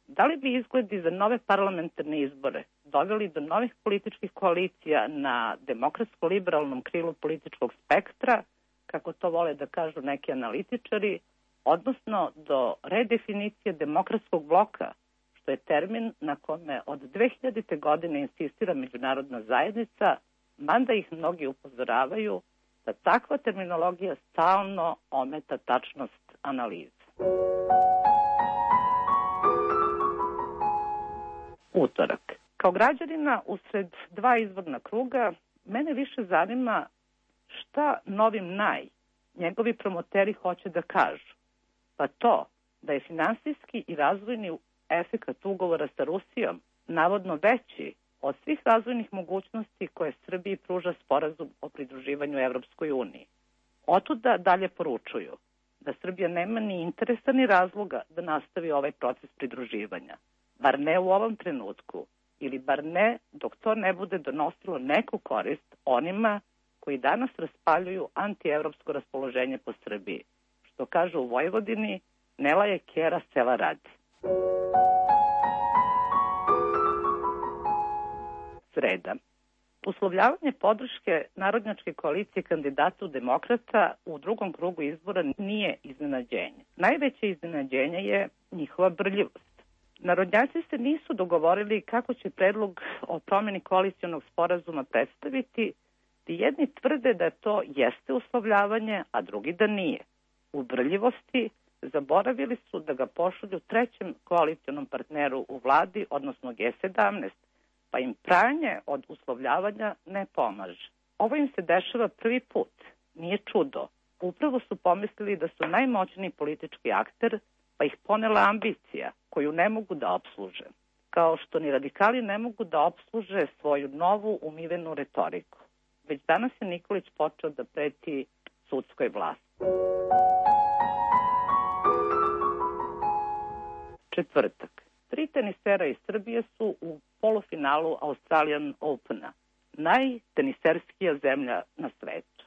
Da li bi izgledi za nove parlamentarne izbore doveli do novih političkih koalicija na demokratsko-liberalnom krilu političkog spektra, kako to vole da kažu neki analitičari, odnosno do redefinicije demokratskog bloka, što je termin na kome od dve hiljadite. godine insistira međunarodna zajednica, mada ih mnogi upozoravaju da takva terminologija stalno ometa tačnost analize. Utorak. Kao građanina usred dva izborna kruga, mene više zanima šta novim naj njegovi promoteri hoće da kažu. Pa to da je finansijski i razvojni efekat ugovora sa Rusijom navodno veći od svih razvojnih mogućnosti koje Srbiji pruža sporazum o pridruživanju Evropskoj uniji. Otuda dalje poručuju da Srbija nema ni interesa ni razloga da nastavi ovaj proces pridruživanja. Bar ne u ovom trenutku, ili bar ne dok to ne bude donosilo neku korist onima koji danas raspaljuju antievropsko raspoloženje po Srbiji. Što kažu u Vojvodini, ne laje kera, sela radi. Sreda. Uslovljavanje podrške narodnjačke koalicije kandidatu demokrata u drugom krugu izbora nije iznenađenje. Najveće iznenađenje je njihova brljivost. Narodnjaci se nisu dogovorili kako će predlog o promjeni koalicionog sporazuma predstaviti, i jedni tvrde da to jeste uslovljavanje, a drugi da nije. U brljivosti zaboravili su da ga pošalju trećem koalicionom partneru u vladi, odnosno G sedamnaest, pa im pranje od uslovljavanja ne pomaže. Ovo im se dešava prvi put. Nije čudo. Upravo su pomislili da su najmoćniji politički akter, pa ih ponela ambicija koju ne mogu da opsluže. Kao što ni radikali ne mogu da opsluže svoju novu umivenu retoriku. Već danas je Nikolić počeo da preti sudskoj vlasti. Četvrtak. Tri tenisera iz Srbije su u polufinalu Australian Opena, najteniserskija zemlja na svetu.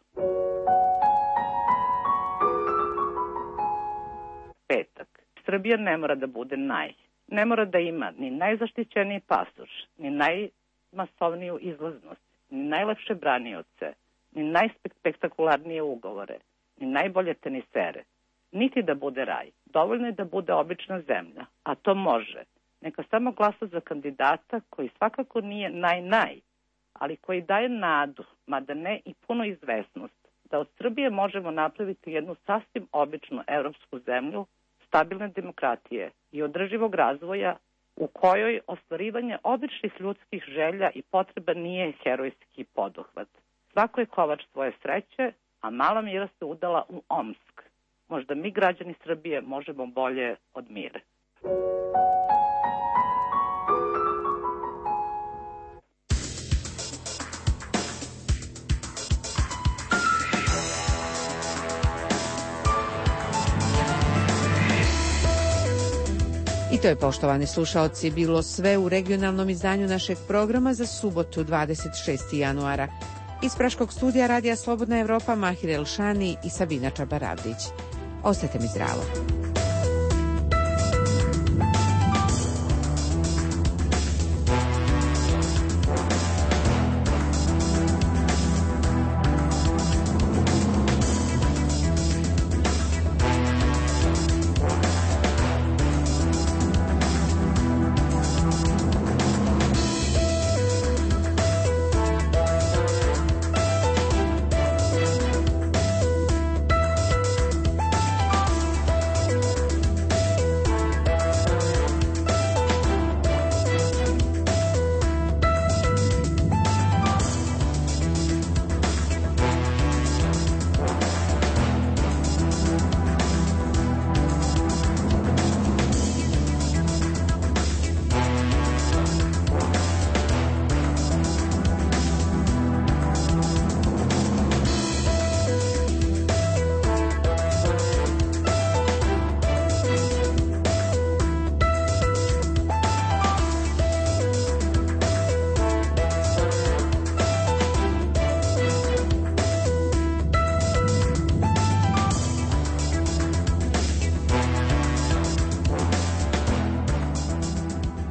Petak. Srbija ne mora da bude naj. Ne mora da ima ni najzaštićeniji pasoš, ni najmasovniju izlaznost, ni najlepše branioce, ni najspektakularnije ugovore, ni najbolje tenisere. Niti da bude raj. Dovoljno je da bude obična zemlja, a to može. Neka samo glasa za kandidata koji svakako nije naj-naj, ali koji daje nadu, mada ne i puno izvesnost, da od Srbije možemo napraviti jednu sasvim običnu evropsku zemlju, stabilne demokratije i održivog razvoja u kojoj ostvarivanje običnih ljudskih želja i potreba nije herojski poduhvat. Svako je kovač svoje sreće, a mala Mira se udala u Omsk. Možda mi, građani Srbije, možemo bolje od Mire. I to je, poštovani slušaoci, bilo sve u regionalnom izdanju našeg programa za subotu dvadeset šestog januara. Iz Praškog studija Radija Slobodna Evropa Mahir Elšani i Sabina Čabaravdić. Ostajte mi zdravo.